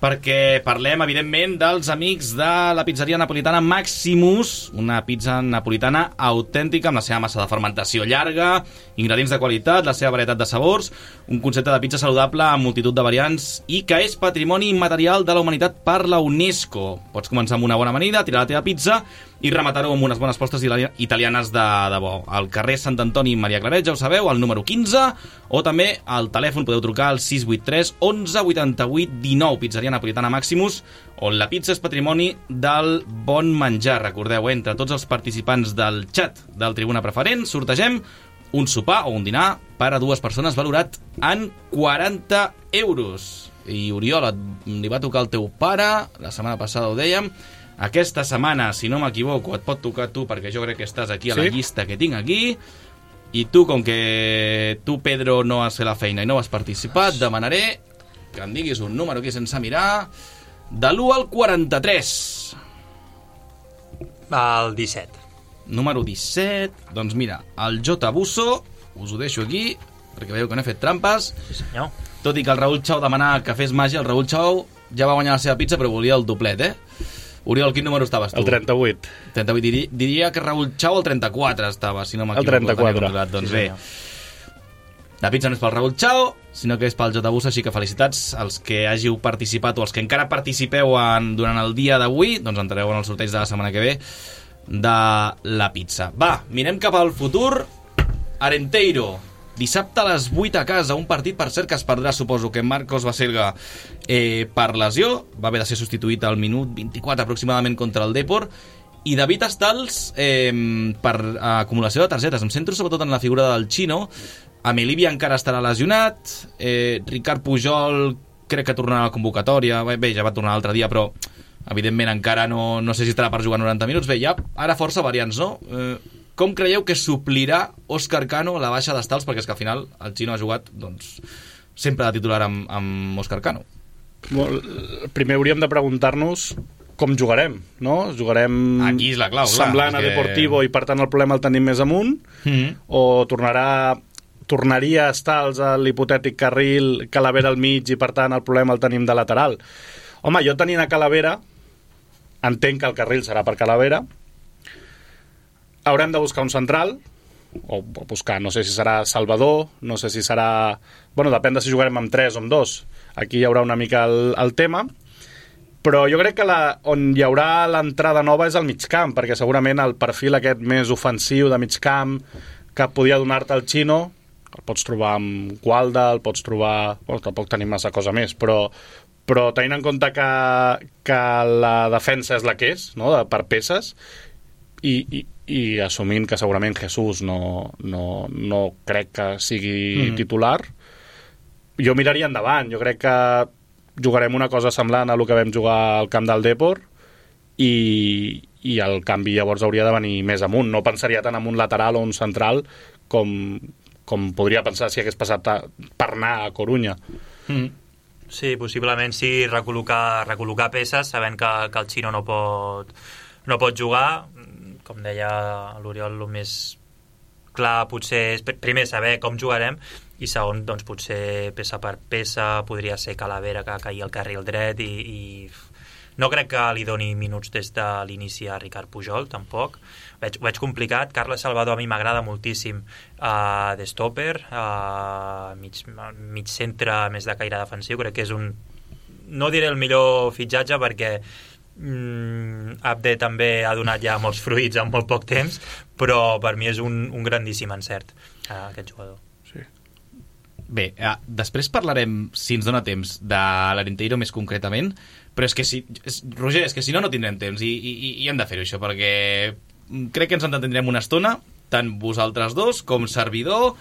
perquè parlem, evidentment, dels amics de la pizzeria napolitana Maximus, una pizza napolitana autèntica amb la seva massa de fermentació llarga, ingredients de qualitat, la seva varietat de sabors, un concepte de pizza saludable amb multitud de variants i que és patrimoni immaterial de la humanitat per la UNESCO. Pots començar amb una bona amanida, tirar la teva pizza i rematar-ho amb unes bones postres italianes de bo. Al carrer Sant Antoni Maria Claret, ja ho sabeu, al número 15, o també al telèfon podeu trucar al 683 11 88 19, pizzeria napolitana Maximus, on la pizza és patrimoni del bon menjar. Recordeu, entre tots els participants del xat del Tribuna Preferent sortegem un sopar o un dinar per a 2 persones valorat en 40 euros. I Oriol, li va tocar el teu pare, la setmana passada ho dèiem. Aquesta setmana, si no m'equivoco, et pot tocar tu, perquè jo crec que estàs aquí a la llista que tinc aquí, i tu, com que tu, Pedro, no has fet la feina i no has participat, demanaré que em diguis un número aquí sense mirar, de l'1 al 43. El 17. Número 17, doncs mira, el J. Busso, us ho deixo aquí, perquè veieu que no he fet trampes. Sí, senyor. Tot i que el Raül Chau demanava que fes màgia, el Raül Chau ja va guanyar la seva pizza, però volia el doblet, Oriol, quin número estaves tu? El 38. 38. Diria que Raül Chau el 34 estava, si no m'equivoco. El 34. Doncs bé, la pizza no és pel Raül Chau, sinó que és pel J. Bus, així que felicitats als que hàgiu participat o als que encara participeu durant el dia d'avui, doncs entrareu en el sorteig de la setmana que ve de la pizza. Va, mirem cap al futur. Arenteiro, dissabte a les 8 a casa, un partit, per cert, que es perdrà, suposo, que Marcos Baselga per lesió, va haver de ser substituït al minut 24 aproximadament contra el Depor, i David Estals per acumulació de targetes. Em centro sobretot en la figura del Chino. Amelibi encara estarà lesionat, Ricard Pujol crec que tornarà a la convocatòria, bé, ja va tornar l'altre dia, però evidentment encara no sé si estarà per jugar 90 minuts. Bé, hi ha ara força variants, no? Com creieu que suplirà Òscar Cano la baixa d'Estals? Perquè és que al final el Chino ha jugat doncs, sempre de titular amb Òscar Cano. Primer hauríem de preguntar-nos com jugarem, no? Jugarem aquí és la clau, semblant a Deportivo i per tant el problema el tenim més amunt, o tornaria a Estals a l'hipotètic carril, Calavera al mig i per tant el problema el tenim de lateral. Home, jo tenint a Calavera entenc que el carril serà per Calavera. Haurem de buscar un central, o buscar, no sé si serà Salvador, no sé si serà... Bueno, depèn de si jugarem amb 3 o amb 2. Aquí hi haurà una mica el tema. Però jo crec que on hi haurà l'entrada nova és al migcamp, perquè segurament el perfil aquest més ofensiu de migcamp que podia donar-te el Chino, el pots trobar amb Gualda, el pots trobar... Bueno, tampoc tenim massa cosa més, però tenint en compte que la defensa és la que és, no? Per peces, i assumint que segurament Jesús no crec que sigui titular, jo miraria endavant. Jo crec que jugarem una cosa semblant a el que vam jugar al camp del Depor i el canvi llavors hauria de venir més amunt. No pensaria tant en un lateral o un central com podria pensar si hagués passat per anar a Corunya. Sí, possiblement sí, recol·locar peces sabent que el Xino no pot jugar. Com deia l'Oriol, el més clar potser és primer saber com jugarem i segon, doncs potser peça per peça podria ser Calavera que caigui al carril dret i no crec que li doni minuts des de l'inici a Ricard Pujol, tampoc. Ho veig complicat. Carles Salvador a mi m'agrada moltíssim de stopper, mig centre més de caire defensiu. Crec que és no diré el millor fitxatge perquè Abde també ha donat ja molts fruits en molt poc temps, però per mi és un grandíssim encert aquest jugador. Bé, després parlarem, si ens dona temps, de l'Arenteiro més concretament, però és que Roger, és que si no tindrem temps i hem de fer-ho això, perquè crec que ens entendrem una estona, tant vosaltres dos, com servidor,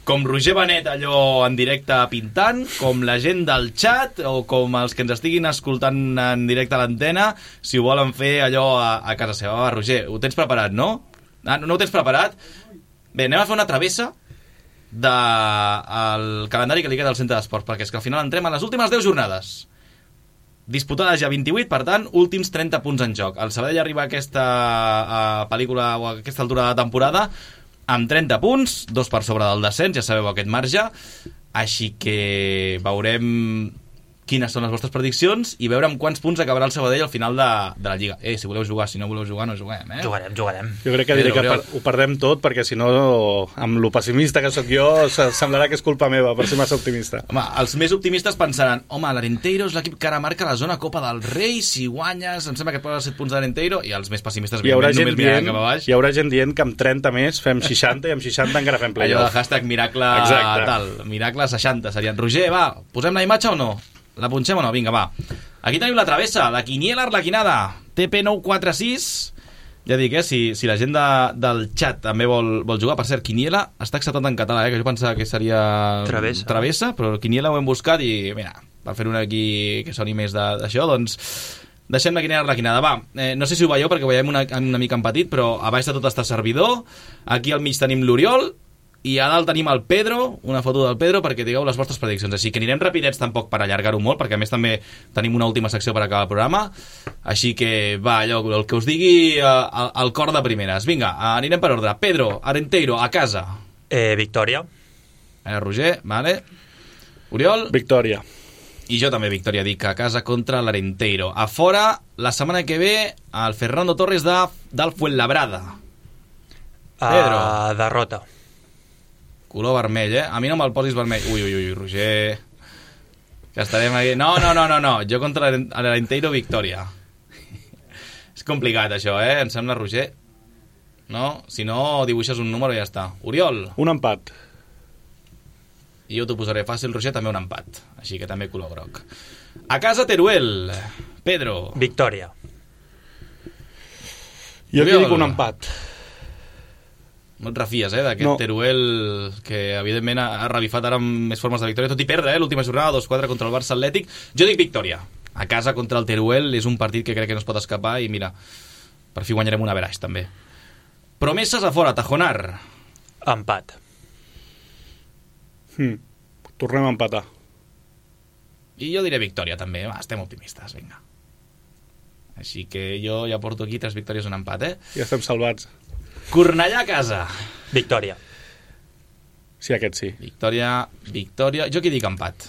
com Roger Benet allò en directe pintant, com la gent del chat o com els que ens estiguin escoltant en directe a l'antena, si ho volen fer allò a casa seva. Va, Roger, ho tens preparat, no? No ho tens preparat? Bé, anem a fer una travessa del calendari que li queda al centre d'esports, perquè és que al final entrem a les últimes 10 jornades disputades ja 28, per tant últims 30 punts en joc. El Sabadell arriba a aquesta pel·lícula o a aquesta altura de la temporada amb 30 punts, 2 per sobre del descens, ja sabeu aquest marge, així que veurem quines són les vostres prediccions i veure amb quants punts acabarà el Sabadell al final de la Lliga. Si voleu jugar, si no voleu jugar, no juguem, Jugarem. Jo crec que diré que ho perdem tot, perquè si no, amb lo pessimista que sóc jo, semblarà que és culpa meva per ser massa optimista. Home, els més optimistes pensaran, l'Arenteiro és l'equip que ara marca la zona Copa del Rei, si guanyes, em sembla que et posa 7 punts d'Arenteiro, i els més pessimistes hi haurà gent dient que amb 30 més fem 60 i amb 60 encara fem playoff. Allò del hashtag miracle tal, miracle 60 serien. Roger, va, posem la imatge o no? La punxem o no? Vinga, va. Aquí tenim la travessa, la quiniela arlequinada, TP946. Ja dic, si la gent del chat també vol jugar. Per cert, quiniela està acceptat en català, que jo pensava que seria travessa, però quiniela ho hem buscat i, mira, per fer una aquí que soni més d'això, doncs deixem la quiniela arlequinada. Va, no sé si ho veieu perquè ho veiem una mica en petit, però a baix de tot està servidor. Aquí al mig tenim l'Oriol i a dalt tenim el Pedro, una foto del Pedro perquè digueu les vostres prediccions, així que anirem rapidets tampoc per allargar-ho molt, perquè a més també tenim una última secció per acabar el programa, així que va, allò, el que us digui el cor de primeres. Vinga, anirem per ordre. Pedro, Arenteiro, a casa. Victòria. Roger, vale. Oriol? Victòria. I jo també victòria, dic, a casa contra l'Arenteiro. A fora, la setmana que ve, el Fernando Torres del Fuenlabrada. Pedro. Derrota. Color vermell, A mi no me'l posis vermell. Ui, Roger. Que estarem aquí. No. Jo contra l'Arenteiro, victòria. És complicat, això, Em sembla, Roger? No? Si no, dibuixes un número i ja està. Oriol? Un empat. I jo t'ho posaré fàcil, Roger, també un empat. Així que també color groc. A casa, Teruel. Pedro? Victòria. Jo aquí dic un empat. No et refies, d'aquest Teruel que, evidentment, ha revifat ara amb més formes de victòria, tot i perdre, l'última jornada, 2-4 contra el Barça Atlètic. Jo dic victòria. A casa contra el Teruel és un partit que crec que no es pot escapar i, mira, per fi guanyarem un averaix, també. Promeses a fora, Tajonar. Empat. Tornem a empatar. I jo diré victòria, també. Estem optimistes, vinga. Així que jo ja porto aquí 3 victòries, un empat, Ja estem salvats. Cornellà a casa. Victòria. Sí, aquest sí. Victòria. Jo aquí dic empat.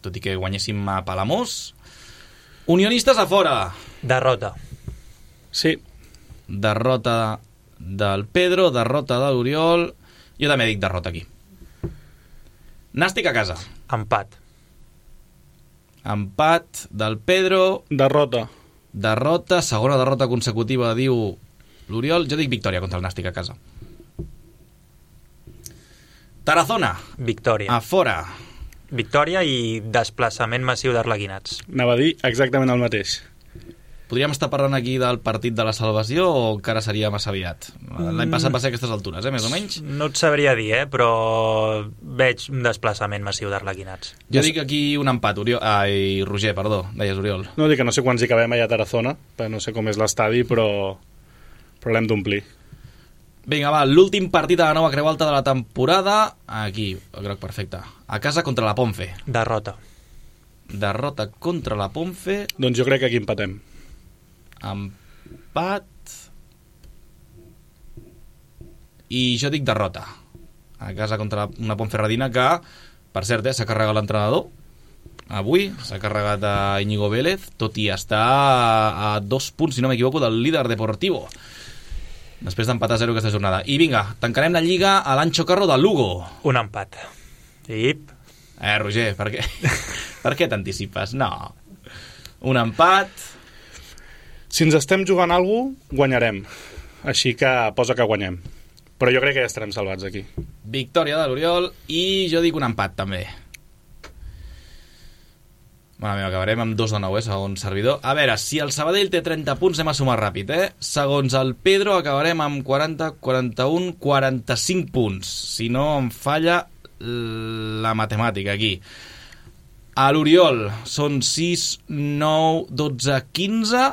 Tot i que guanyéssim a Palamós. Unionistes a fora. Derrota. Sí. Derrota del Pedro, derrota de l'Oriol. Jo també dic derrota aquí. Nàstic a casa. Empat. Empat del Pedro. Derrota, segona derrota consecutiva, diu l'Oriol. Jo dic victòria contra el Nàstic a casa. Tarazona. Victòria. A fora. Victòria i desplaçament massiu d'arlequinats. Anava a dir exactament el mateix. podríem estar parlant aquí del partit de la salvació o encara seria massa aviat? L'any passat va ser a aquestes altures, més o menys? No et sabria dir, però veig un desplaçament massiu d'arlequinats. Jo dic aquí un empat, Roger, perdó, deies Oriol. No, dic que no sé quants hi cabem allà a Tarazona, no sé com és l'estadi, però l'hem d'omplir. Vinga, va, l'últim partit de la nova Creu Alta de la temporada, aquí, el groc perfecte, a casa contra la Ponfe. Derrota Contra la Ponfe. Doncs jo crec que aquí empatem. Empat. I jo dic derrota. A casa contra una Ponferradina que, per cert, s'ha carregat l'entrenador. Avui s'ha carregat a Íñigo Vélez, tot i estar a 2 punts, si no m'equivoco, del líder deportivo. Després d'empatar 0 aquesta jornada. I vinga, tancarem la lliga a l'Ancho Carro de Lugo. Un empat. Roger, per què? Per què t'anticipes? No. Un empat. Si ens estem jugant alguna cosa, guanyarem. Així que posa que guanyem. Però jo crec que ja estarem salvats aquí. Victòria de l'Oriol i jo dic un empat també. Mare meva, acabarem amb 2-9, segons servidor. A veure, si el Sabadell té 30 punts, anem a sumar ràpid, Segons el Pedro, acabarem amb 40, 41, 45 punts. Si no em falla la matemàtica aquí. A l'Oriol són 6, 9, 12, 15,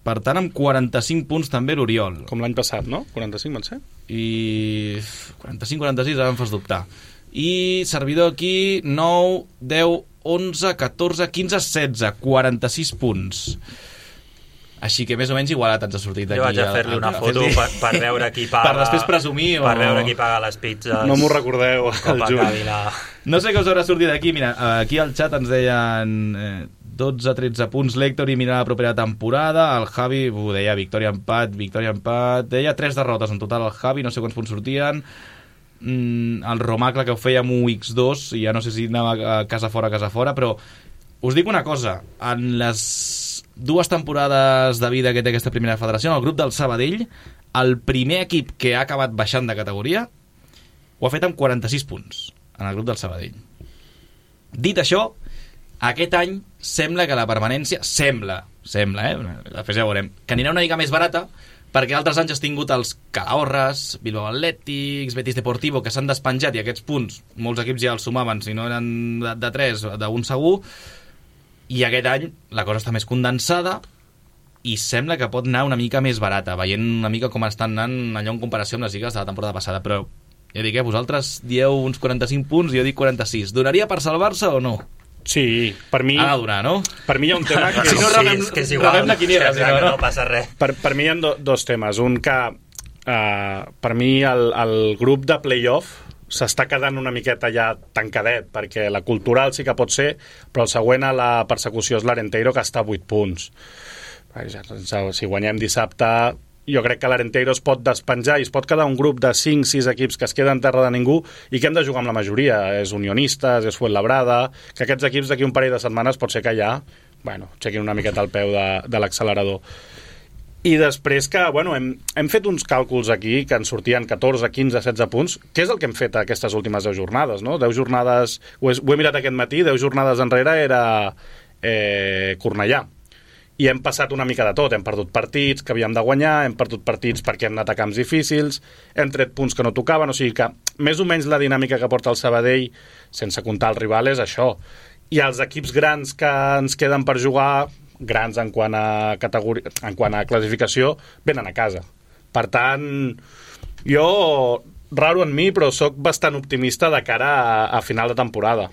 per tant amb 45 punts també l'Oriol. Com l'any passat, no? 45 van ser? I 45-46, ara em fas dubtar. I servidor aquí 9, 10, 11, 14, 15, 16, 46 punts. Així que més o menys igualat ens ha sortit aquí. Jo vaig a fer-li una foto per veure qui paga. Per després presumir per veure qui paga les pizzas. No m'ho recordeu, el juny. No sé què us haurà sortit d'aquí. Mira, aquí al xat ens deien 12-13 punts l'Héctor i mira la propera temporada. El Javi deia victòria, empat. Deia 3 derrotes en total el Javi, no sé quants punts sortien. El Romacle que ho feia amb 1x2 i ja no sé si anava a casa fora, però us dic una cosa, en les 2 temporades de vida que té aquesta primera federació, en el grup del Sabadell, el primer equip que ha acabat baixant de categoria ho ha fet amb 46 punts en el grup del Sabadell. Dit això, aquest any sembla que la permanència sembla, després ja ho veurem, que anirà una mica més barata, perquè altres anys has tingut els Calahorres, Bilbao Atlètics, Betis Deportivo, que s'han despenjat i aquests punts, molts equips ja els sumaven, si no eren de 3, d'un segur, i aquest any la cosa està més condensada i sembla que pot anar una mica més barata, veient una mica com estan anant allò en comparació amb les lligues de la temporada passada, però ja dic, vosaltres dieu uns 45 punts i jo dic 46. Donaria per salvar-se o no? Sí, per mi... Ha de donar, no? Per mi hi ha un tema que... Si no, que és igual, la quiniela, si no passa res. Per mi hi ha dos temes. Un que, per mi, el grup de play-off s'està quedant una miqueta ja tancadet, perquè la cultural sí que pot ser, però el següent a la persecució és l'Arenteiro, que està a 8 punts. Si guanyem dissabte, jo crec que l'Arenteiro es pot despenjar i es pot quedar un grup de 5-6 equips que es queden en terra de ningú i que hem de jugar amb la majoria. És Unionistes, és Fuenlabrada, que aquests equips d'aquí un parell de setmanes pot ser que ja aixequin una miqueta el peu de l'accelerador. I després que, hem fet uns càlculs aquí que ens sortien 14, 15, 16 punts, que és el que hem fet aquestes últimes 10 jornades, no? 10 jornades, ho he mirat aquest matí, 10 jornades enrere era Cornellà. I hem passat una mica de tot, hem perdut partits que havíem de guanyar, hem perdut partits perquè hem anat a camps difícils, hem tret punts que no tocaven, o sigui que més o menys la dinàmica que porta el Sabadell, sense comptar el rival, és això. I els equips grans que ens queden per jugar, grans en quant a categoria, en quant a classificació, venen a casa. Per tant, jo, raro en mi, però sóc bastant optimista de cara a final de temporada.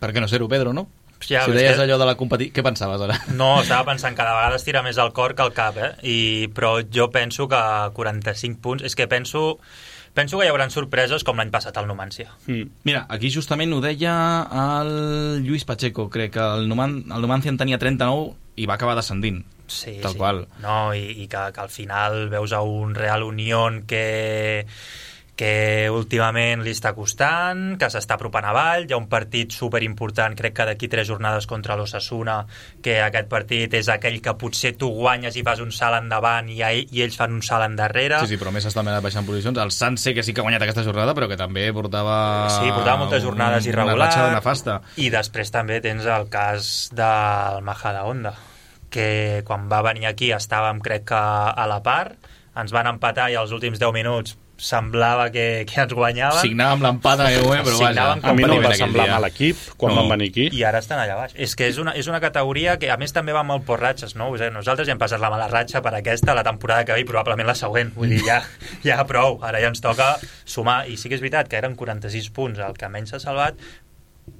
Per què no ser-ho, Pedro, no? Ja, si deies allò de la competició, què pensaves ara? No, estava pensant que cada vegada es tira més el cor que el cap, però jo penso que 45 punts, és que penso que hi haurà sorpreses com l'any passat al Numancia. Mira, aquí justament ho deia el Lluís Pacheco, crec que el Numancia en tenia 39 i va acabar descendint. Sí, tal qual. No, i que al final veus a un Real Unión que últimament li està costant, que s'està apropant avall, hi ha un partit superimportant, crec que d'aquí 3 jornades contra l'Osasuna, que aquest partit és aquell que potser tu guanyes i fas un salt endavant i ells fan un salt endarrere. Sí, però més està anat baixant posicions. El Sanse, que sí que ha guanyat aquesta jornada, però que també portava... Sí, portava moltes jornades irregulars. Una ratxa nefasta. I després també tens el cas del Majadahonda, que quan va venir aquí estàvem, crec que a la part, ens van empatar i als últims 10 minuts semblava que ens guanyaven. Signàvem l'empat a però vaja. A mi no em va semblar mal equip quan van venir aquí. I ara estan allà baix. És que és una categoria que a més també va molt per ratxes, no? Nosaltres ja hem passat la mala ratxa per aquesta, la temporada que ve i probablement la següent. Vull dir, ja prou. Ara ja ens toca sumar. I sí que és veritat que eren 46 punts el que menys s'ha salvat,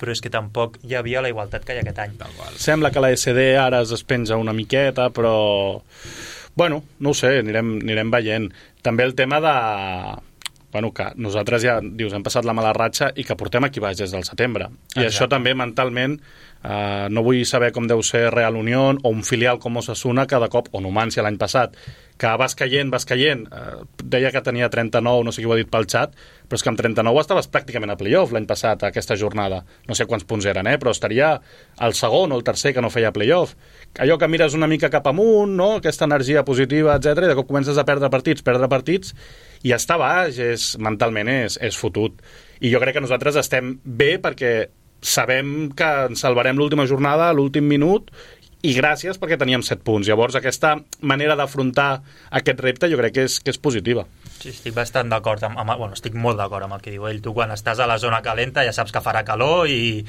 però és que tampoc hi havia la igualtat que hi ha aquest any. Sembla que la SD ara es despenja una miqueta, però... Bueno, no ho sé, anirem veient. També el tema de... Bueno, que nosaltres ja, dius, hem passat la mala ratxa i que portem aquí baix des del setembre. I això també mentalment, no vull saber com deu ser Real Unión o un filial com Osasuna que de cop, o Numancia l'any passat, que vas caient. Deia que tenia 39, no sé qui ho ha dit pel xat, però és que amb 39 estaves pràcticament a playoff l'any passat, a aquesta jornada. No sé quants punts eren, però estaria el segon o el tercer que no feia playoff. Allò que mires una mica cap amunt, no? Aquesta energia positiva, etc, i de cop comences a perdre partits, i estar baix mentalment és fotut. I jo crec que nosaltres estem bé perquè sabem que ens salvarem l'última jornada, l'últim minut, i gràcies perquè teníem 7 punts. Llavors aquesta manera d'afrontar aquest repte jo crec que és positiva. Sí, estic bastant d'acord estic molt d'acord amb el que diu ell. Tu quan estàs a la zona calenta ja saps que farà calor i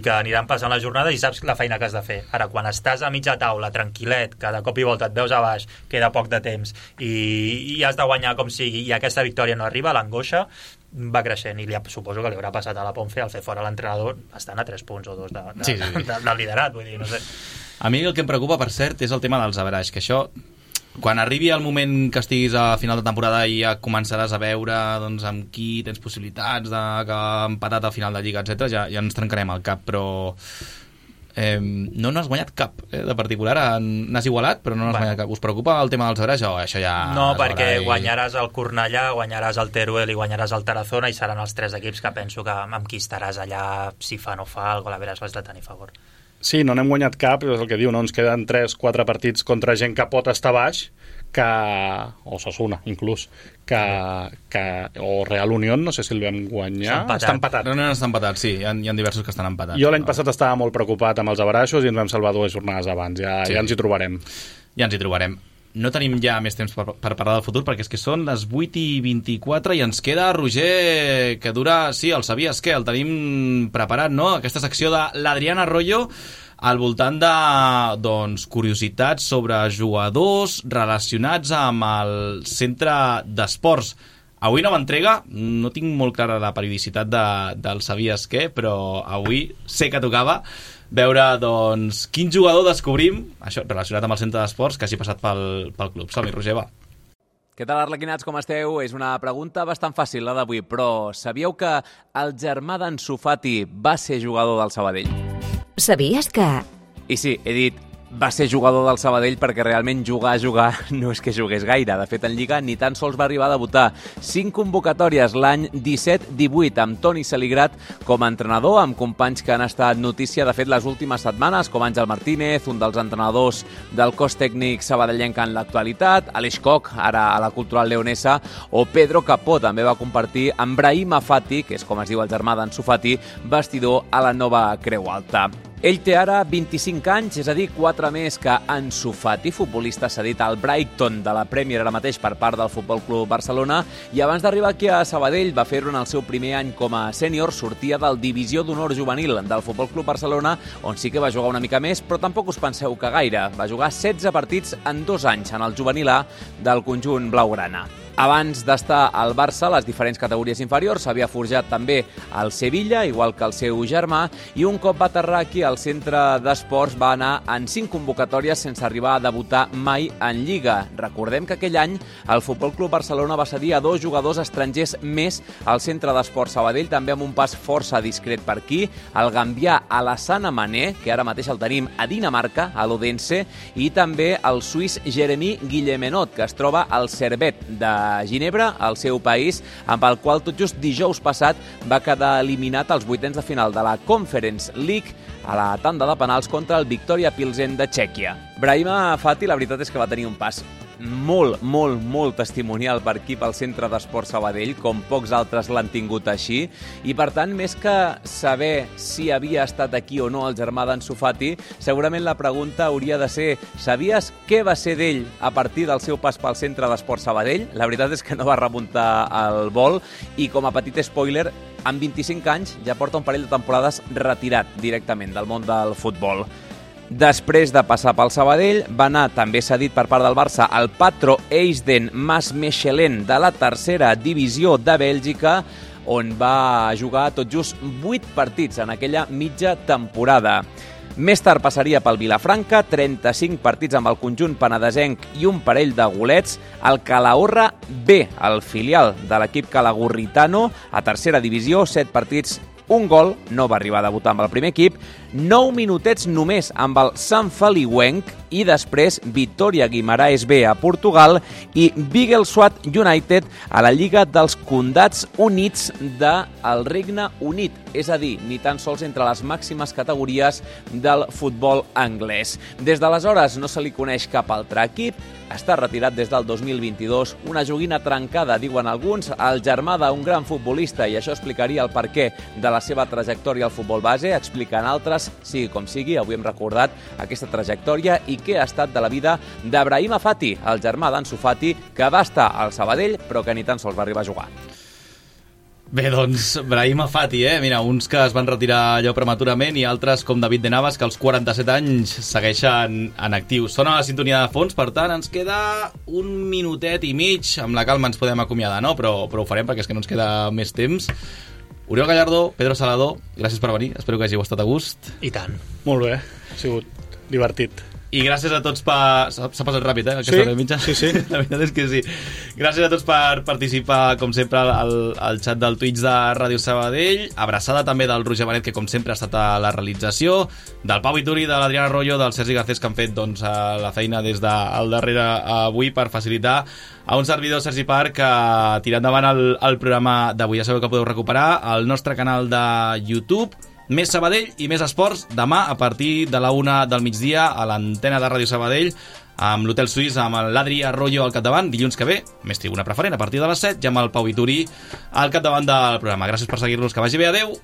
que aniran passant les jornades i saps la feina que has de fer. Ara, quan estàs a mitja taula, tranquil·let, que de cop i volta et veus a baix, queda poc de temps i has de guanyar com sigui i aquesta victòria no arriba, l'angoixa va creixent i suposo que li haurà passat a la Ponfe al fer fora l'entrenador estan a 3 punts o 2 del liderat, vull dir, no sé. A mi el que em preocupa, per cert, és el tema dels averaix, que això, quan arribi el moment que estiguis a final de temporada i ja començaràs a veure doncs, amb qui tens possibilitats de que empatat al final de Lliga, etc, ja ens trencarem el cap, però no n'has guanyat cap de particular, n'has igualat però no n'has guanyat cap. Us preocupa el tema dels averaix o això ja... No, perquè guanyaràs el Cornellà, guanyaràs el Teruel i guanyaràs el Tarazona i seran els 3 equips que penso que amb qui estaràs allà si fa o no fa, algo l'averaix l'has de tenir a favor. Sí, no n'hem guanyat cap, és el que diu, no? Ens queden 3-4 partits contra gent que pot estar baix, o Osasuna, inclús, o Real Unión, no sé si el vam guanyar. Està empatat. No, està empatat, sí, hi ha diversos que estan empatats. Jo l'any passat estava molt preocupat amb els averaixos i ens vam salvar 2 jornades abans, ja ens hi trobarem. Ja ens hi trobarem. No tenim ja més temps per parlar del futur, perquè és que són les 8:24 i ens queda, Roger, que dura... Sí, el sabies què? El tenim preparat, no? Aquesta secció de l'Adrián Arroyo al voltant de, doncs, curiositats sobre jugadors relacionats amb el centre d'esports. Avui nova entrega, no tinc molt clara la periodicitat del sabies què, però avui sé que tocava veure, doncs, quin jugador descobrim, això relacionat amb el centre d'esports, que hagi passat pel club. Som-hi, Roger, va. Què tal, arlequinats, com esteu? És una pregunta bastant fàcil, la d'avui, però sabíeu que el germà d'Ansu Fati va ser jugador del Sabadell? Sabies que... I sí, he dit va ser jugador del Sabadell perquè realment jugar no és que jugués gaire. De fet, en Lliga ni tan sols va arribar a debutar. 5 convocatòries l'any 17-18 amb Toni Saligrat com a entrenador, amb companys que han estat notícia, de fet, les últimes setmanes, com Àngel Martínez, un dels entrenadors del cos tècnic sabadellenc en l'actualitat, Aleix Koch, ara a la Cultural Leonesa, o Pedro Capó, també va compartir amb Brahima Fati, que és com es diu el germà d'Ansu Fati, vestidor a la nova Creu Alta. Ell té ara 25 anys, és a dir, 4 més que Ansu Fati, futbolista cedit al Brighton de la Premier ara mateix per part del Futbol Club Barcelona, i abans d'arribar aquí a Sabadell va fer-ho en el seu primer any com a sènior, sortia del Divisió d'Honor Juvenil del Futbol Club Barcelona, on sí que va jugar una mica més, però tampoc us penseu que gaire. Va jugar 16 partits en 2 anys en el juvenil A del conjunt blaugrana. Abans d'estar al Barça, les diferents categories inferiors, s'havia forjat també al Sevilla, igual que el seu germà, i un cop va aterrar aquí al centre d'esports va anar en 5 convocatòries sense arribar a debutar mai en Lliga. Recordem que aquell any el Futbol Club Barcelona va cedir a 2 jugadors estrangers més al centre d'esports Sabadell, també amb un pas força discret per aquí, el gambià Alassane Mané, que ara mateix el tenim a Dinamarca, a l'Odense, i també el suís Jeremy Guillemenot, que es troba al Servette de Ginebra, al seu país, amb el qual tot just dijous passat va quedar eliminat als 8ens de final de la Conference League a la tanda de penals contra el Victoria Pilsen de Txèquia. Brahima Fati, la veritat és que va tenir un pas molt testimonial per aquí pel Centre d'Esport Sabadell, com pocs altres l'han tingut així, i per tant, més que saber si havia estat aquí o no el germà d'Ansu Fati, segurament la pregunta hauria de ser: sabies què va ser d'ell a partir del seu pas pel Centre d'Esport Sabadell? La veritat és que no va remuntar el vol, i com a petit spoiler, amb 25 anys ja porta un parell de temporades retirat directament del món del futbol. Després de passar pel Sabadell, va anar també cedit per part del Barça al Patro Eisden Maasmechelen de la tercera divisió de Bèlgica, on va jugar tot just 8 partits en aquella mitja temporada. Més tard passaria pel Vilafranca, 35 partits amb el conjunt penedesenc i un parell de golets, al Calahorra B, el filial de l'equip calagurritano, a tercera divisió, 7 partits, un gol, no va arribar a debutar amb el primer equip, 9 minutets només amb el Sant Feliuenc i després Vitória Guimaraes B a Portugal i Biggleswade United a la Lliga dels Condats Units del Regne Unit, és a dir, ni tan sols entre les màximes categories del futbol anglès. Des d'aleshores no se li coneix cap altre equip, està retirat des del 2022, una joguina trencada, diuen alguns, el germà d'un gran futbolista, i això explicaria el perquè de la seva trajectòria al futbol base, expliquen altres, sigui com sigui, avui hem recordat aquesta trajectòria i què ha estat de la vida d'Abrahima Fati, el germà d'Ansu Fati, que va estar al Sabadell, però que ni tan sols va arribar a jugar. Bé, doncs, Brahima Fati, Mira, uns que es van retirar allò prematurament i altres, com David de Navas, que als 47 anys segueixen en actiu. Sona la sintonia de fons, per tant, ens queda un minutet i mig. Amb la calma ens podem acomiadar, no? Però ho farem perquè és que no ens queda més temps. Oriol Gallardó, Pedro Salado, gràcies per venir. Espero que hàgiu estat a gust. I tant. Molt bé, ha sigut divertit. I gràcies a tots per... S'ha passat ràpid, aquesta hora mitja? Sí. La veritat és que sí. Gràcies a tots per participar, com sempre, al xat del Twitch de Ràdio Sabadell. Abraçada també del Roger Benet, que com sempre ha estat a la realització, del Pau Vituri, de l'Adriana Arroyo, del Sergi Garcés, que han fet la feina des del darrere avui per facilitar a un servidor, Sergi Parc, que tirar endavant el programa d'avui. Ja sabeu que podeu recuperar al nostre canal de YouTube. Més Sabadell i més esports demà a partir de la 1 del migdia a l'antena de Ràdio Sabadell amb l'Hotel Suís, amb l'Adri Arroyo al capdavant. Dilluns que ve, més tribuna preferent a partir de les 7 i amb el Pau Vituri al capdavant del programa. Gràcies per seguir-nos, que vagi bé, adeu!